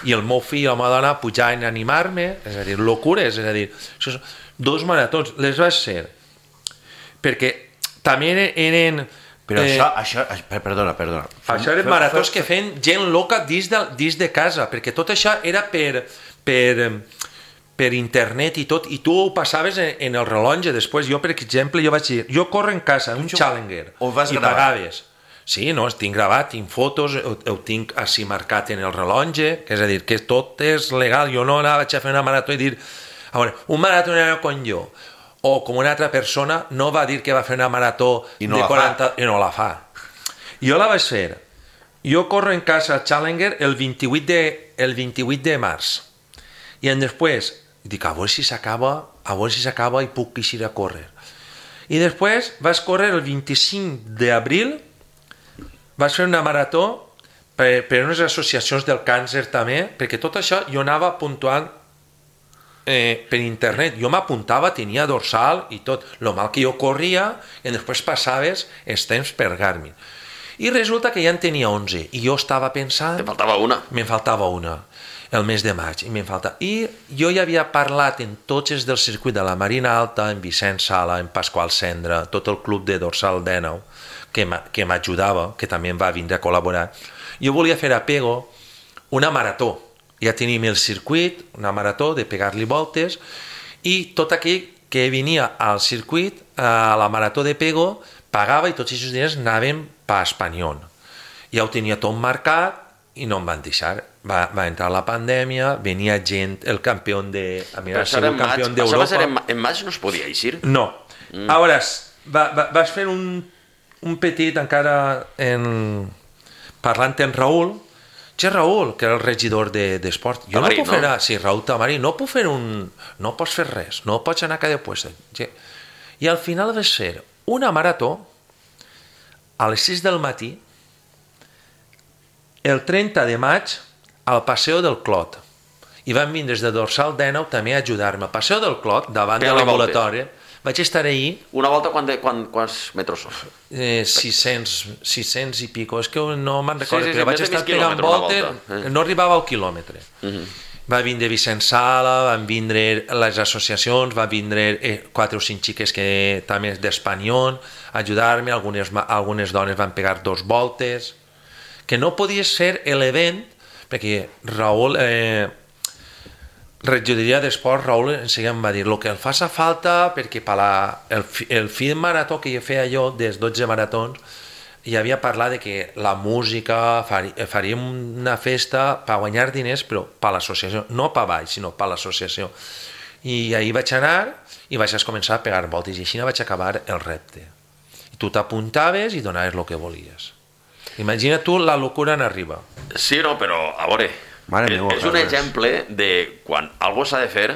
Speaker 5: I el meu fill i la meva dona pujaven a animar-me, és a dir, locures, és a dir, dos maratons, les vaig fer perquè també eren...
Speaker 2: Però
Speaker 5: eh,
Speaker 2: això, això, perdona, perdona.
Speaker 5: Això eren maratons que feien gent loca dins de, dins de casa, perquè tot això era per, per, per internet i tot, i tu ho passaves en, en el rellotge. Després, jo, per exemple, jo vaig dir, jo corro en casa, un Challenger,
Speaker 3: ho vas
Speaker 5: i
Speaker 3: gravar?
Speaker 5: pagaves. Sí, no, tinc gravat, tinc fotos, ho, ho tinc així marcat en el rellotge, és a dir, que tot és legal. Jo no vaig a fer una marató i dir, a veure, un maratonero com jo, o com una altra persona, no va dir que va fer una marató
Speaker 3: I no
Speaker 5: de
Speaker 3: la
Speaker 5: quaranta... I no la fa. Jo la vaig fer. Jo corro en casa Challenger el vint-i-vuit de, el vint-i-vuit de març. I en després, dic, a veure si s'acaba, a veure si s'acaba i puc eixir a córrer. I després vaig córrer el vint-i-cinc d'abril, vaig fer una marató per, per unes associacions del càncer també, perquè tot això jo anava puntuant eh, per internet. Jo m'apuntava, tenia dorsal i tot. Lo mal que jo corria i després passaves els temps per Garmin. I resulta que ja en tenia onze i jo estava pensant...
Speaker 4: Te faltava una.
Speaker 5: Me'n faltava una, el mes de maig, i me'n faltava... I jo ja havia parlat en tots els del circuit de la Marina Alta, en Vicent Sala, en Pasqual Cendra, tot el club de dorsal dènou, que m'ajudava, que també em va vindre a col·laborar. Jo volia fer a Pego una marató. Ja tenim el circuit, una marató de pegar-li voltes, i tot aquell que venia al circuit, a la marató de Pego, pagava i tots aquests diners anaven per Espanyol. Ja ho tenia tot marcat i no em van deixar. Va, va entrar la pandèmia, venia gent, el campió de... A mi era el campió d'Europa.
Speaker 4: Això va ser en, en maig, no es podia eixir?
Speaker 5: No. Mm. Ara, va, va, vas fer un, un petit encara en... parlant amb Raül. Che, Raül, que era el regidor d'esport. De, jo Tamarí, no puc fer... No? Sí, Raül Tamarí, no puc fer un... No pots fer res, no pots anar a cada puesto. I al final vas fer una marató a les sis del matí el trenta de maig al Paseo del Clot. I van vindre des de Dorsal dènou també a ajudar-me. Al Paseo del Clot, davant de l'ambulatori, vaig estar ahir...
Speaker 4: Una volta, quan de, quan, quants metres són?
Speaker 5: Eh, sis cents i pico, és que no me'n recordo,
Speaker 4: sí, sí,
Speaker 5: però
Speaker 4: sí,
Speaker 5: vaig estar pegant voltes, eh. no arribava al quilòmetre. Uh -huh. Va vindre Vicent Sala, van vindre les associacions, van vindre eh, quatre o cinc xiques que també d'Espanyol, a ajudar-me, algunes, algunes dones van pegar dos voltes, que no podies fer l'event, perquè Raül... Eh, regidoria d'esport, Raül enseguida em va dir el que em faça falta, perquè per la, el, el fi de marató que jo feia jo dels dotze maratons hi havia parlat de que la música fari, faríem una festa per guanyar diners, però per l'associació, no per baix, sinó per l'associació. I ahir vaig anar i vaig començar a pegar voltes i així vaig acabar el repte. I tu t'apuntaves i donaves el que volies. Imagina tu la locura en arriba.
Speaker 4: Sí, no, però a veure,
Speaker 3: Mare
Speaker 4: és,
Speaker 3: meva,
Speaker 4: és un exemple de quan algú s'ha de fer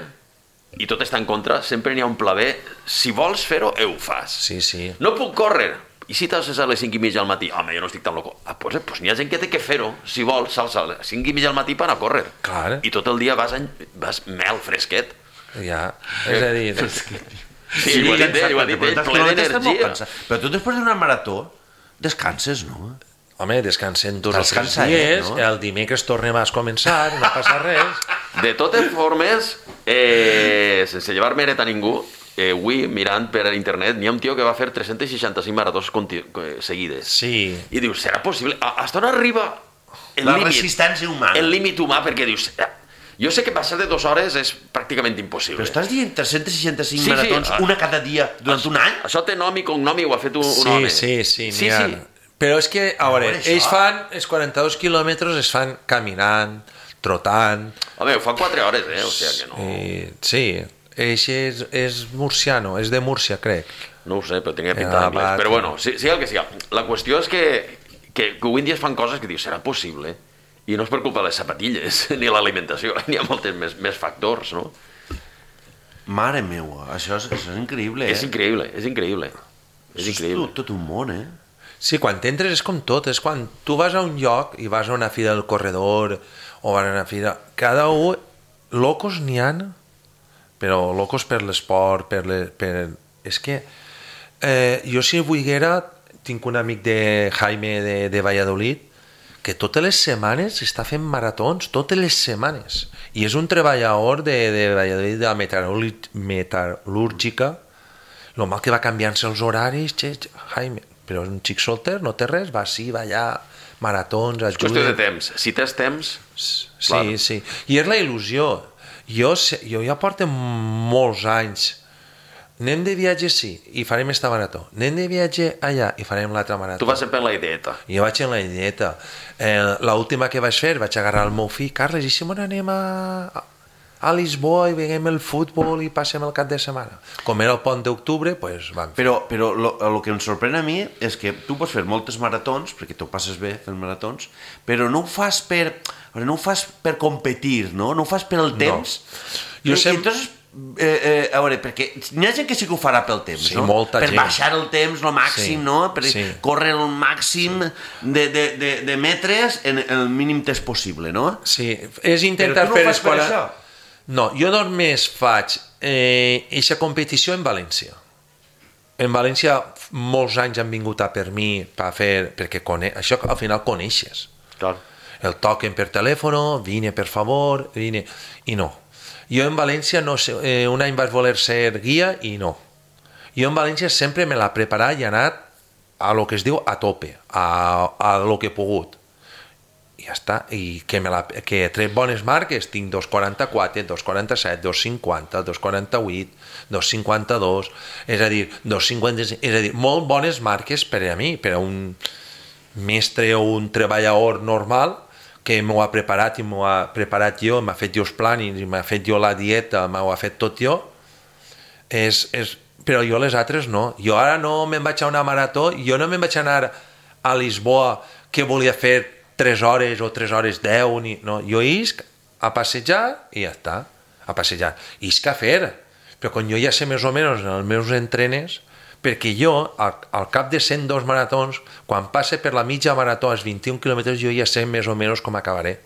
Speaker 4: i tot està en contra, sempre n'hi ha un pla B. Si vols fer-ho, ho fas.
Speaker 5: Sí, sí.
Speaker 4: No puc córrer. I si t'has a les cinc i mitja al matí? Home, jo no estic tan loco. Ah, pues, pues n'hi ha gent que té que fer-ho. Si vols, salsa a les cinc i mitja al matí per anar a córrer.
Speaker 5: Clar.
Speaker 4: I tot el dia vas, en, vas mel fresquet.
Speaker 5: Ja, és a dir...
Speaker 4: Sí, sí, ho ha dit ell, ho ha dit ell, ple d'energia.
Speaker 3: Però tu després d'una marató descanses, no?
Speaker 5: Home, descansem dos o tres
Speaker 3: Descansa,
Speaker 5: dies,
Speaker 3: eh, no?
Speaker 5: el dimecres tornem a començar, no passa res.
Speaker 4: De totes formes, eh, sense llevar mèrit a ningú, eh, avui, mirant per internet, n'hi ha un tio que va fer tres-centes seixanta-cinc maratons seguides.
Speaker 5: Sí.
Speaker 4: I dius, serà possible? Hasta on arriba el
Speaker 3: La
Speaker 4: límit?
Speaker 3: resistència humana.
Speaker 4: El límit humà, perquè dius... Jo sé que passar de dues hores és pràcticament impossible.
Speaker 3: Però estàs dient tres-centes seixanta-cinc
Speaker 4: Sí, sí,
Speaker 3: maratons,
Speaker 4: ah.
Speaker 3: una cada dia, durant un any?
Speaker 4: Això té nom i cognom i ho ha fet un, un
Speaker 5: Sí,
Speaker 4: home.
Speaker 5: sí, sí,
Speaker 4: sí,
Speaker 5: n'hi ha.
Speaker 4: sí.
Speaker 5: Però és que, a veure,
Speaker 3: veure, això.
Speaker 5: ells fan, els quaranta-dos quilòmetres es fan caminant, trotant...
Speaker 4: Home, ho fa quatre hores, eh? O sigui que no...
Speaker 5: I, sí, ell és, és murciano, és de Múrcia, crec.
Speaker 4: No ho sé, però tenia
Speaker 5: Ah,
Speaker 4: pinta d'anglès.
Speaker 5: va,
Speaker 4: Però
Speaker 5: sí.
Speaker 4: bueno, sí, sí el que sigui. La qüestió és que, que, que avui en dia es fan coses que dius, serà possible? I no és per culpa de les sapatilles, ni l'alimentació, n'hi ha molts més, més factors, no?
Speaker 3: Mare meua, això és, això és increïble, eh?
Speaker 4: És increïble, és increïble. És
Speaker 3: Això
Speaker 4: increïble.
Speaker 3: tot, tot un món, eh?
Speaker 5: Sí, quan t'entres és com tot, és quan tu vas a un lloc i vas a una fira del corredor o vas a una fira... Cada un... Locos n'hi ha, però locos per l'esport, per, le, per... És que eh, jo si volguera, tinc un amic de Jaime de, de Valladolid que totes les setmanes està fent maratons, totes les setmanes. I és un treballador de, de Valladolid, de la metal·lúrgica. lo mal que va canviant-se els horaris, xe, xe, Jaime, però és un xic solter, no té res, va sí, va allà, maratons, ajuda...
Speaker 4: És qüestió de temps, si tens temps...
Speaker 5: Sí, clar. Sí, i és la il·lusió. Jo, jo ja porto molts anys, anem de viatge sí, i farem esta marató, anem de viatge allà i farem l'altra marató.
Speaker 4: Tu vas sempre en la ideeta.
Speaker 5: Jo vaig en la ideeta. Eh, l'última que vaig fer, vaig agarrar el meu fill, Carles, i si me n'anem a... a Lisboa i veiem el futbol i passem el cap de setmana. Com era el pont d'octubre, doncs vam fer.
Speaker 3: Però, però lo, el que em sorprèn a mi és que tu pots fer moltes maratons, perquè t'ho passes bé fent maratons, però no ho fas per, no ho fas per competir, no? No ho fas per el temps.
Speaker 5: No. Jo
Speaker 3: I,
Speaker 5: sempre...
Speaker 3: entonces, eh, eh, a veure, perquè n'hi ha gent que sí que ho farà pel temps,
Speaker 5: sí,
Speaker 3: no?
Speaker 5: Molta
Speaker 3: per
Speaker 5: gent.
Speaker 3: baixar el temps el màxim,
Speaker 5: sí.
Speaker 3: no? Per
Speaker 5: sí.
Speaker 3: córrer el màxim sí. de, de, de, de metres en el mínim temps possible, no?
Speaker 5: Sí, és intentar
Speaker 3: però tu no
Speaker 5: fer...
Speaker 3: ho fas per això?
Speaker 5: No, jo només faig eh, eixa competició en València. En València molts anys han vingut a per mi per fer, perquè cone... això al final coneixes.
Speaker 4: Clar.
Speaker 5: El toquen per telèfon, vine per favor, vine... I no. Jo en València no sé, eh, un any vaig voler ser guia i no. Jo en València sempre me l'ha preparat i he anat a lo que es diu a tope, a, a lo que he pogut. I ja està, i que, me la, que he tret bones marques, tinc dos quaranta-quatre, dos quaranta-set, dos cinquanta, dos quaranta-vuit, dos cinquanta-dos, és a dir, dos cinquanta-cinc, és a dir, molt bones marques per a mi, per a un mestre o un treballador normal que m'ho ha preparat i m'ho ha preparat jo, m'ha fet jo els plànings, m'ha fet jo la dieta, m'ho ha fet tot jo, és, és, però jo les altres no. Jo ara no me'n vaig a una marató, jo no me'n vaig anar a Lisboa que volia fer tres hores o tres hores deu, ni, no, jo isc a passejar i ja està, a passejar. Isc a fer, però quan jo ja sé més o menys en els meus entrenes, perquè jo, al, al cap de cent dos maratons, quan passe per la mitja marató als vint-i-un quilòmetres, jo ja sé més o menys com acabaré.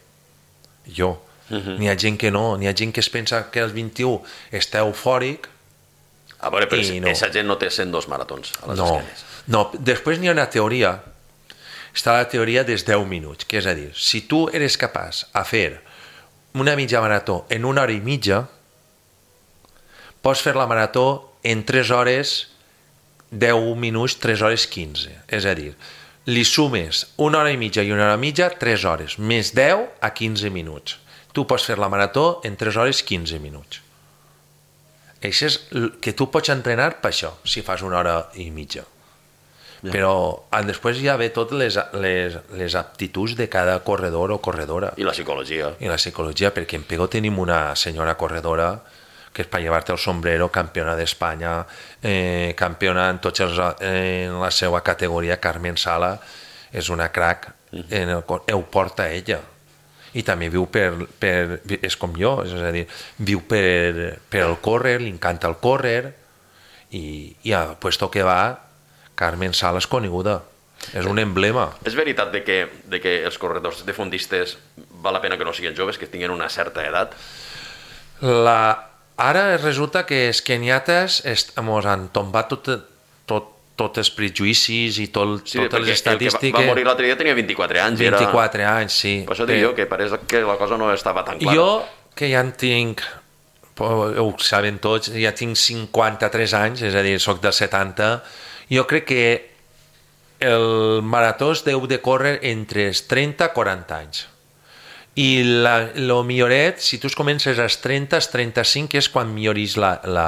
Speaker 5: Jo. Uh-huh. N'hi ha gent que no, n'hi ha gent que es pensa que als vint-i-u està eufòric.
Speaker 4: A veure, però
Speaker 5: no.
Speaker 4: Aquesta gent no té cent dos maratons a les
Speaker 5: no,
Speaker 4: esquenes.
Speaker 5: No, després n'hi ha una teoria, està la teoria dels deu minuts, que és a dir, si tu eres capaç a fer una mitja marató en una hora i mitja, pots fer la marató en tres hores, deu minuts, tres hores quinze. És a dir, li sumes una hora i mitja i una hora i mitja, tres hores, més deu a quinze minuts. Tu pots fer la marató en tres hores quinze minuts. Això és que tu pots entrenar per això, si fas una hora i mitja. Ja. Però després ja ve totes les, les, les aptituds de cada corredor o corredora.
Speaker 4: I la psicologia.
Speaker 5: I la psicologia, perquè en Pego tenim una senyora corredora que és per llevar-te el sombrero, campiona d'Espanya, eh, campiona en, tots els, eh, en la seva categoria, Carmen Sala, és una crac, en el, ho porta ella. I també viu per, per... és com jo, és a dir, viu per, per el córrer, li encanta el córrer, i, i a puesto que va, Carmen Sala és coneguda, és un emblema.
Speaker 4: És veritat de que, de que els corredors de fondistes val la pena que no siguin joves, que tinguin una certa edat?
Speaker 5: La... Ara resulta que els keniates ens han tombat tot, tot, tots els prejuïcis i tot,
Speaker 4: sí,
Speaker 5: totes les estadístiques.
Speaker 4: El que va morir l'altre dia tenia vint-i-quatre anys.
Speaker 5: vint-i-quatre
Speaker 4: era...
Speaker 5: anys, sí.
Speaker 4: Per això dic jo, que pareix que la cosa no estava tan clara.
Speaker 5: Jo, que ja en tinc, ho saben tots, ja tinc cinquanta-tres anys, és a dir, soc del setanta, jo crec que el marató es deu de córrer entre els trenta i quaranta anys. I el milloret, si tu comences als trenta, als trenta-cinc, és quan milloris la, la,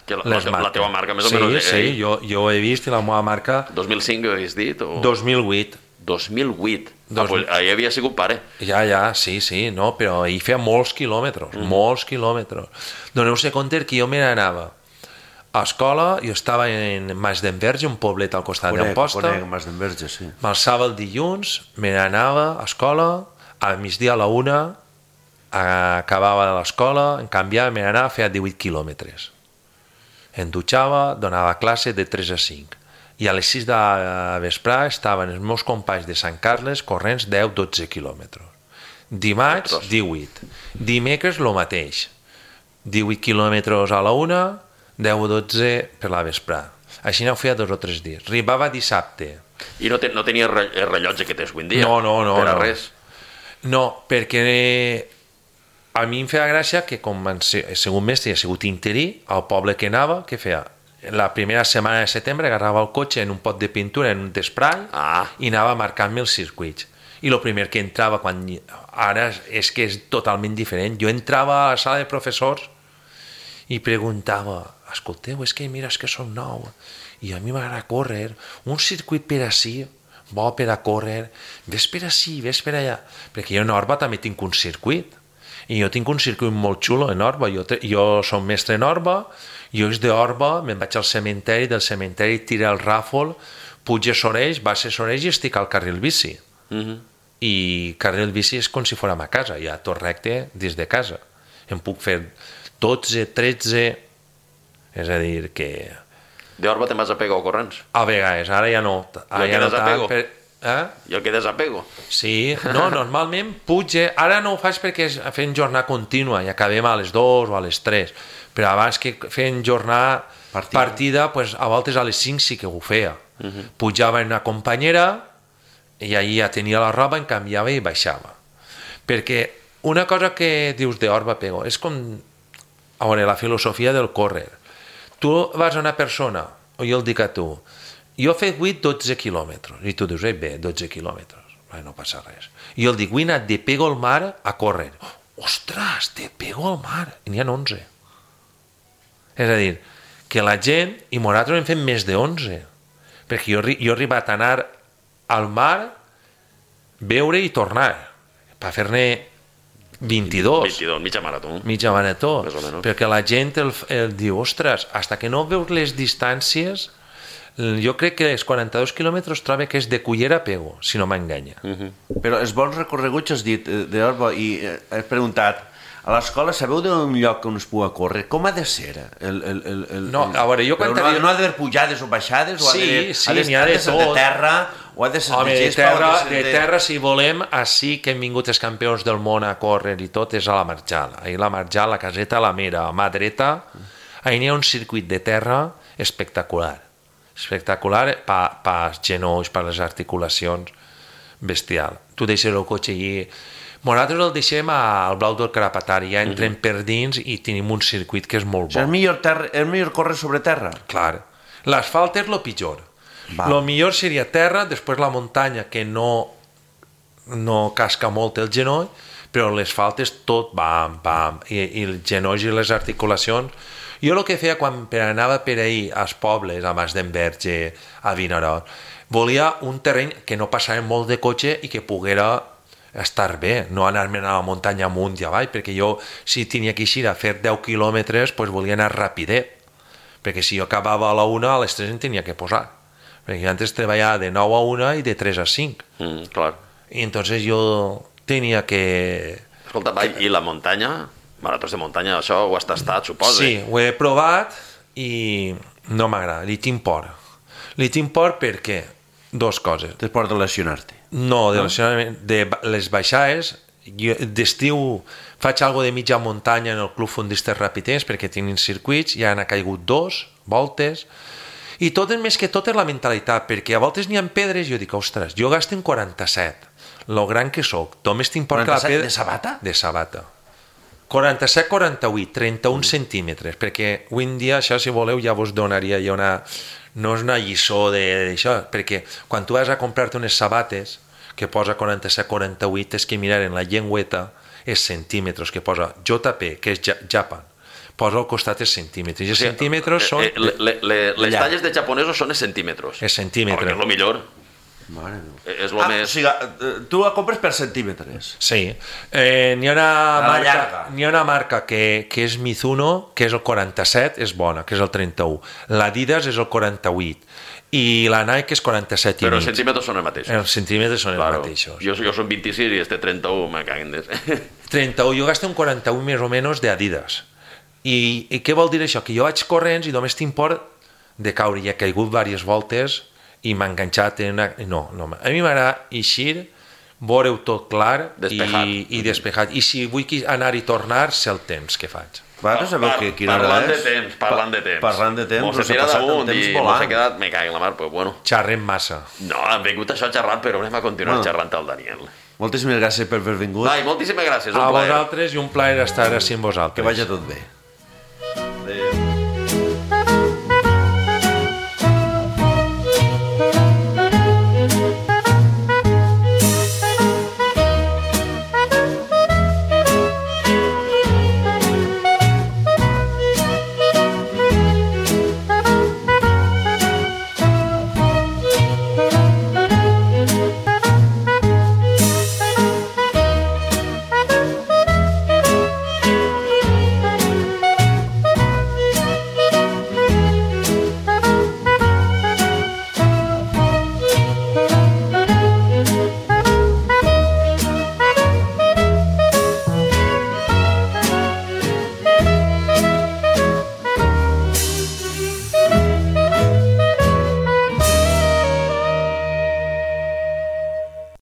Speaker 4: que la, les marques. La teva marca, més
Speaker 5: sí,
Speaker 4: o menys.
Speaker 5: Sí, sí, jo, jo ho he vist i la meva marca...
Speaker 4: dos mil cinc ho havies dit? O...
Speaker 5: dos mil vuit.
Speaker 4: dos mil vuit?
Speaker 5: Dos...
Speaker 4: Ah, pues, ahir havia sigut pare.
Speaker 5: Ja, ja, sí, sí, no, però ahir feia molts quilòmetres, mm. molts quilòmetres. Doneu-se compte que jo me n'anava a escola, jo estava en Mas d'Enverge, un poblet al costat d'Amposta.
Speaker 3: Conec, Mas d'Enverge, sí.
Speaker 5: M'alçava el dilluns, me n'anava a escola, a migdia a la una, acabava de l'escola, en canviava, me n'anava, feia divuit quilòmetres. Em dutxava, donava classe de tres a cinc. I a les sis de vesprà estaven els meus companys de Sant Carles corrents deu a dotze quilòmetres. Dimarts, divuit. Dimecres, el mateix. divuit quilòmetres a la una, deu a dotze per la vesprà. Així no ho feia dos o tres dies. Arribava dissabte.
Speaker 4: I no, te, no tenia el rellotge que tens avui en dia?
Speaker 5: No, no, no.
Speaker 4: Per a
Speaker 5: no.
Speaker 4: res?
Speaker 5: No, perquè a mi em feia gràcia que com he sigut mestre i he sigut interí, al poble que anava, què feia? la primera setmana de setembre agarrava el cotxe en un pot de pintura, en un d'esprai,
Speaker 4: Ah.
Speaker 5: i anava marcant-me els circuits. I el primer que entrava, quan ara és que és totalment diferent, jo entrava a la sala de professors i preguntava, escolteu, és que mira, és que som nou, i a mi m'agrada córrer, un circuit per ací, bo per a córrer, ves per ací, ves per allà, perquè jo en Orba també tinc un circuit, i jo tinc un circuit molt xulo en Orba, jo, te, jo som mestre en Orba, jo és d'Orba, me'n vaig al cementeri, del cementeri tira el ràfol, puig a Soreix, baix a Soreix i estic al carril bici.
Speaker 4: Uh-huh.
Speaker 5: I carril bici és com si fórem a casa, ja tot recte des de casa. Em puc fer dotze, tretze, és a dir que...
Speaker 4: D'Orba te'n vas a Pego corrents?
Speaker 5: A vegades, ara ja no. Ara
Speaker 4: Ja
Speaker 5: ja no
Speaker 4: quedes a
Speaker 5: tant,
Speaker 4: Pego?
Speaker 5: per... eh?
Speaker 4: I el que des a Pego?
Speaker 5: Sí, no, normalment puge, ara no ho faig perquè és fent jornada contínua i acabem a les dues o a les tres, però abans que fent jornada partida, partida pues, a voltes a les cinc sí que ho feia. Uh-huh. Pujava en una companyera i allí ja tenia la roba, em canviava i baixava. Perquè una cosa que dius d'Orba Pego és com, a veure, la filosofia del córrer. Tu vas a una persona, o jo el dic a tu, jo he fet vuit dotze quilòmetres, i tu dius, ei, bé, dotze quilòmetres, no passa res. I jo el dic, vull anar de Pego al mar a córrer. Ostres, de Pego al mar, i n'hi ha onze. És a dir, que la gent, i nosaltres hem fet més de onze, perquè jo, jo he arribat a anar al mar, veure i tornar, per fer-ne vint-i-dos.
Speaker 4: vint-i-dos, mitja marató.
Speaker 5: Mitja marató.
Speaker 4: Més o menys.
Speaker 5: Perquè la gent el, el diu, ostres, hasta que no veus les distàncies, jo crec que els quaranta-dos quilòmetres trobo que és de Cullera a Pego, si no m'enganya.
Speaker 4: Uh-huh.
Speaker 3: Però els bons recorreguts has dit eh, d'Orba i eh, he preguntat, a l'escola sabeu d'un lloc on es pugui córrer? Com ha de ser? El, el, el, el,
Speaker 5: No, a veure, jo quan
Speaker 3: no,
Speaker 5: havia...
Speaker 3: no ha d'haver pujades o baixades? O
Speaker 5: Sí,
Speaker 3: ha de,
Speaker 5: sí,
Speaker 3: ha de,
Speaker 5: n'hi ha de
Speaker 3: ser
Speaker 5: tot.
Speaker 3: de terra? O ha de ser
Speaker 5: Home,
Speaker 3: de
Speaker 5: de
Speaker 3: gespa?
Speaker 5: terra,
Speaker 3: o ha
Speaker 5: de terra, si volem, així que hem vingut els campions del món a córrer i tot, és a la Marjal. Ahir la Marjal, la caseta, la Mera, a mà dreta, ahir n'hi ha un circuit de terra espectacular. Espectacular per pa els genolls, per les articulacions, bestial. Tu deixes el cotxe allí... Nosaltres el deixem al Blau del Carapatari, ja entrem per dins i tenim un circuit que és molt bo.
Speaker 3: És millor, terra, és millor córrer sobre terra?
Speaker 5: Clar. L'asfalt és el pitjor. El millor seria terra, després la muntanya, que no, no casca molt el genoll, però l'asfalt és tot bam, bam, i, i els genolls i les articulacions. Jo el que feia quan anava per ahir als pobles, a Mas d'Enverge, a Vinaròs, volia un terreny que no passava molt de cotxe i que poguera estar bé, no anar-me a la muntanya amunt i avall, perquè jo, si tenia que eixir a fer deu quilòmetres, pues volia anar rapidet, perquè si jo acabava a la una, a les tres em tenia que posar, perquè jo antes treballava de nou a una i de tres a cinc.
Speaker 4: Mm, clar.
Speaker 5: I entonces jo tenia que...
Speaker 4: Escolta, va, i la muntanya? Maratons de muntanya, això ho has tastat, suposa?
Speaker 5: Sí, ho he provat i no m'agrada, li tinc por. Li tinc por perquè dos coses.
Speaker 3: Tens por de lesionar-te?
Speaker 5: No, de, no? de les baixades, d'estiu faig algo de mitja muntanya en el Club Fundistes Rapiters perquè tenen circuits, ja han caigut dos voltes, i tot més que tot és la mentalitat, perquè a voltes n'hi ha pedres i jo dic, ostres, jo gasto en quaranta-set, lo gran que soc, només tinc por que la pedra...
Speaker 3: De sabata?
Speaker 5: De sabata. quaranta-set quaranta-vuit, trenta-un mm. centímetres, perquè avui en dia, això si voleu, ja vos donaria ja una... No és una lliçó d'això, perquè quan tu vas a comprar-te unes sabates que posa quaranta-set quaranta-vuit, és que mirar en la llengüeta és centímetres, que posa J P, que és Japan, posa al costat els centímetres, i els
Speaker 4: o sigui,
Speaker 5: centímetres són...
Speaker 4: Eh, le, le, le, les talles de japonesos són els centímetres.
Speaker 5: És centímetre.
Speaker 4: Perquè és el millor.
Speaker 3: Mare meva.
Speaker 4: És lo
Speaker 3: ah,
Speaker 4: més...
Speaker 3: O sigui, tu la compres per centímetres.
Speaker 5: Sí. Eh, n'hi ha una
Speaker 3: la
Speaker 5: marca, n'hi ha una marca que, que és Mizuno, que és el quaranta-set, és bona, que és el trenta-u. L'Adidas és el quaranta-vuit. I la Nike és quaranta-set i
Speaker 4: Però
Speaker 5: mig.
Speaker 4: els centímetres són els mateixos.
Speaker 5: Els centímetres són
Speaker 4: claro.
Speaker 5: els mateixos.
Speaker 4: Jo, jo som vint-i-sis i este trenta-u, me caguen des...
Speaker 5: trenta-u, jo gasto un quaranta-u més o menys d'Adidas. I, I què vol dir això? Que jo vaig corrents i només tinc por de caure. I he caigut diverses voltes i m'ha enganxat en una... No, no, a mi m'agrada eixir, veure-ho tot clar
Speaker 4: Despejat.
Speaker 5: i, i despejat. I si vull anar i tornar, sé el temps que faig.
Speaker 3: Vosaltres sabeu
Speaker 4: Par,
Speaker 3: que quina hora
Speaker 4: parlant
Speaker 3: és?
Speaker 4: de temps, parlant de temps.
Speaker 3: Parlant de temps,
Speaker 4: Mos
Speaker 3: però
Speaker 4: he
Speaker 3: s'ha
Speaker 4: tirat
Speaker 3: passat el
Speaker 4: damunt
Speaker 3: temps
Speaker 4: i mos
Speaker 3: volant.
Speaker 4: he quedat, me cago en la mar, però bueno.
Speaker 5: Xerrem massa.
Speaker 4: No, hem vingut això a xerrar, però anem a continuar
Speaker 3: Bueno.
Speaker 4: xerrant al Daniel.
Speaker 3: Moltíssimes gràcies per haver vingut.
Speaker 4: Vai, moltíssimes gràcies, un
Speaker 5: A
Speaker 4: plaer.
Speaker 5: vosaltres i un plaer estar així amb vosaltres.
Speaker 3: Que vagi tot bé.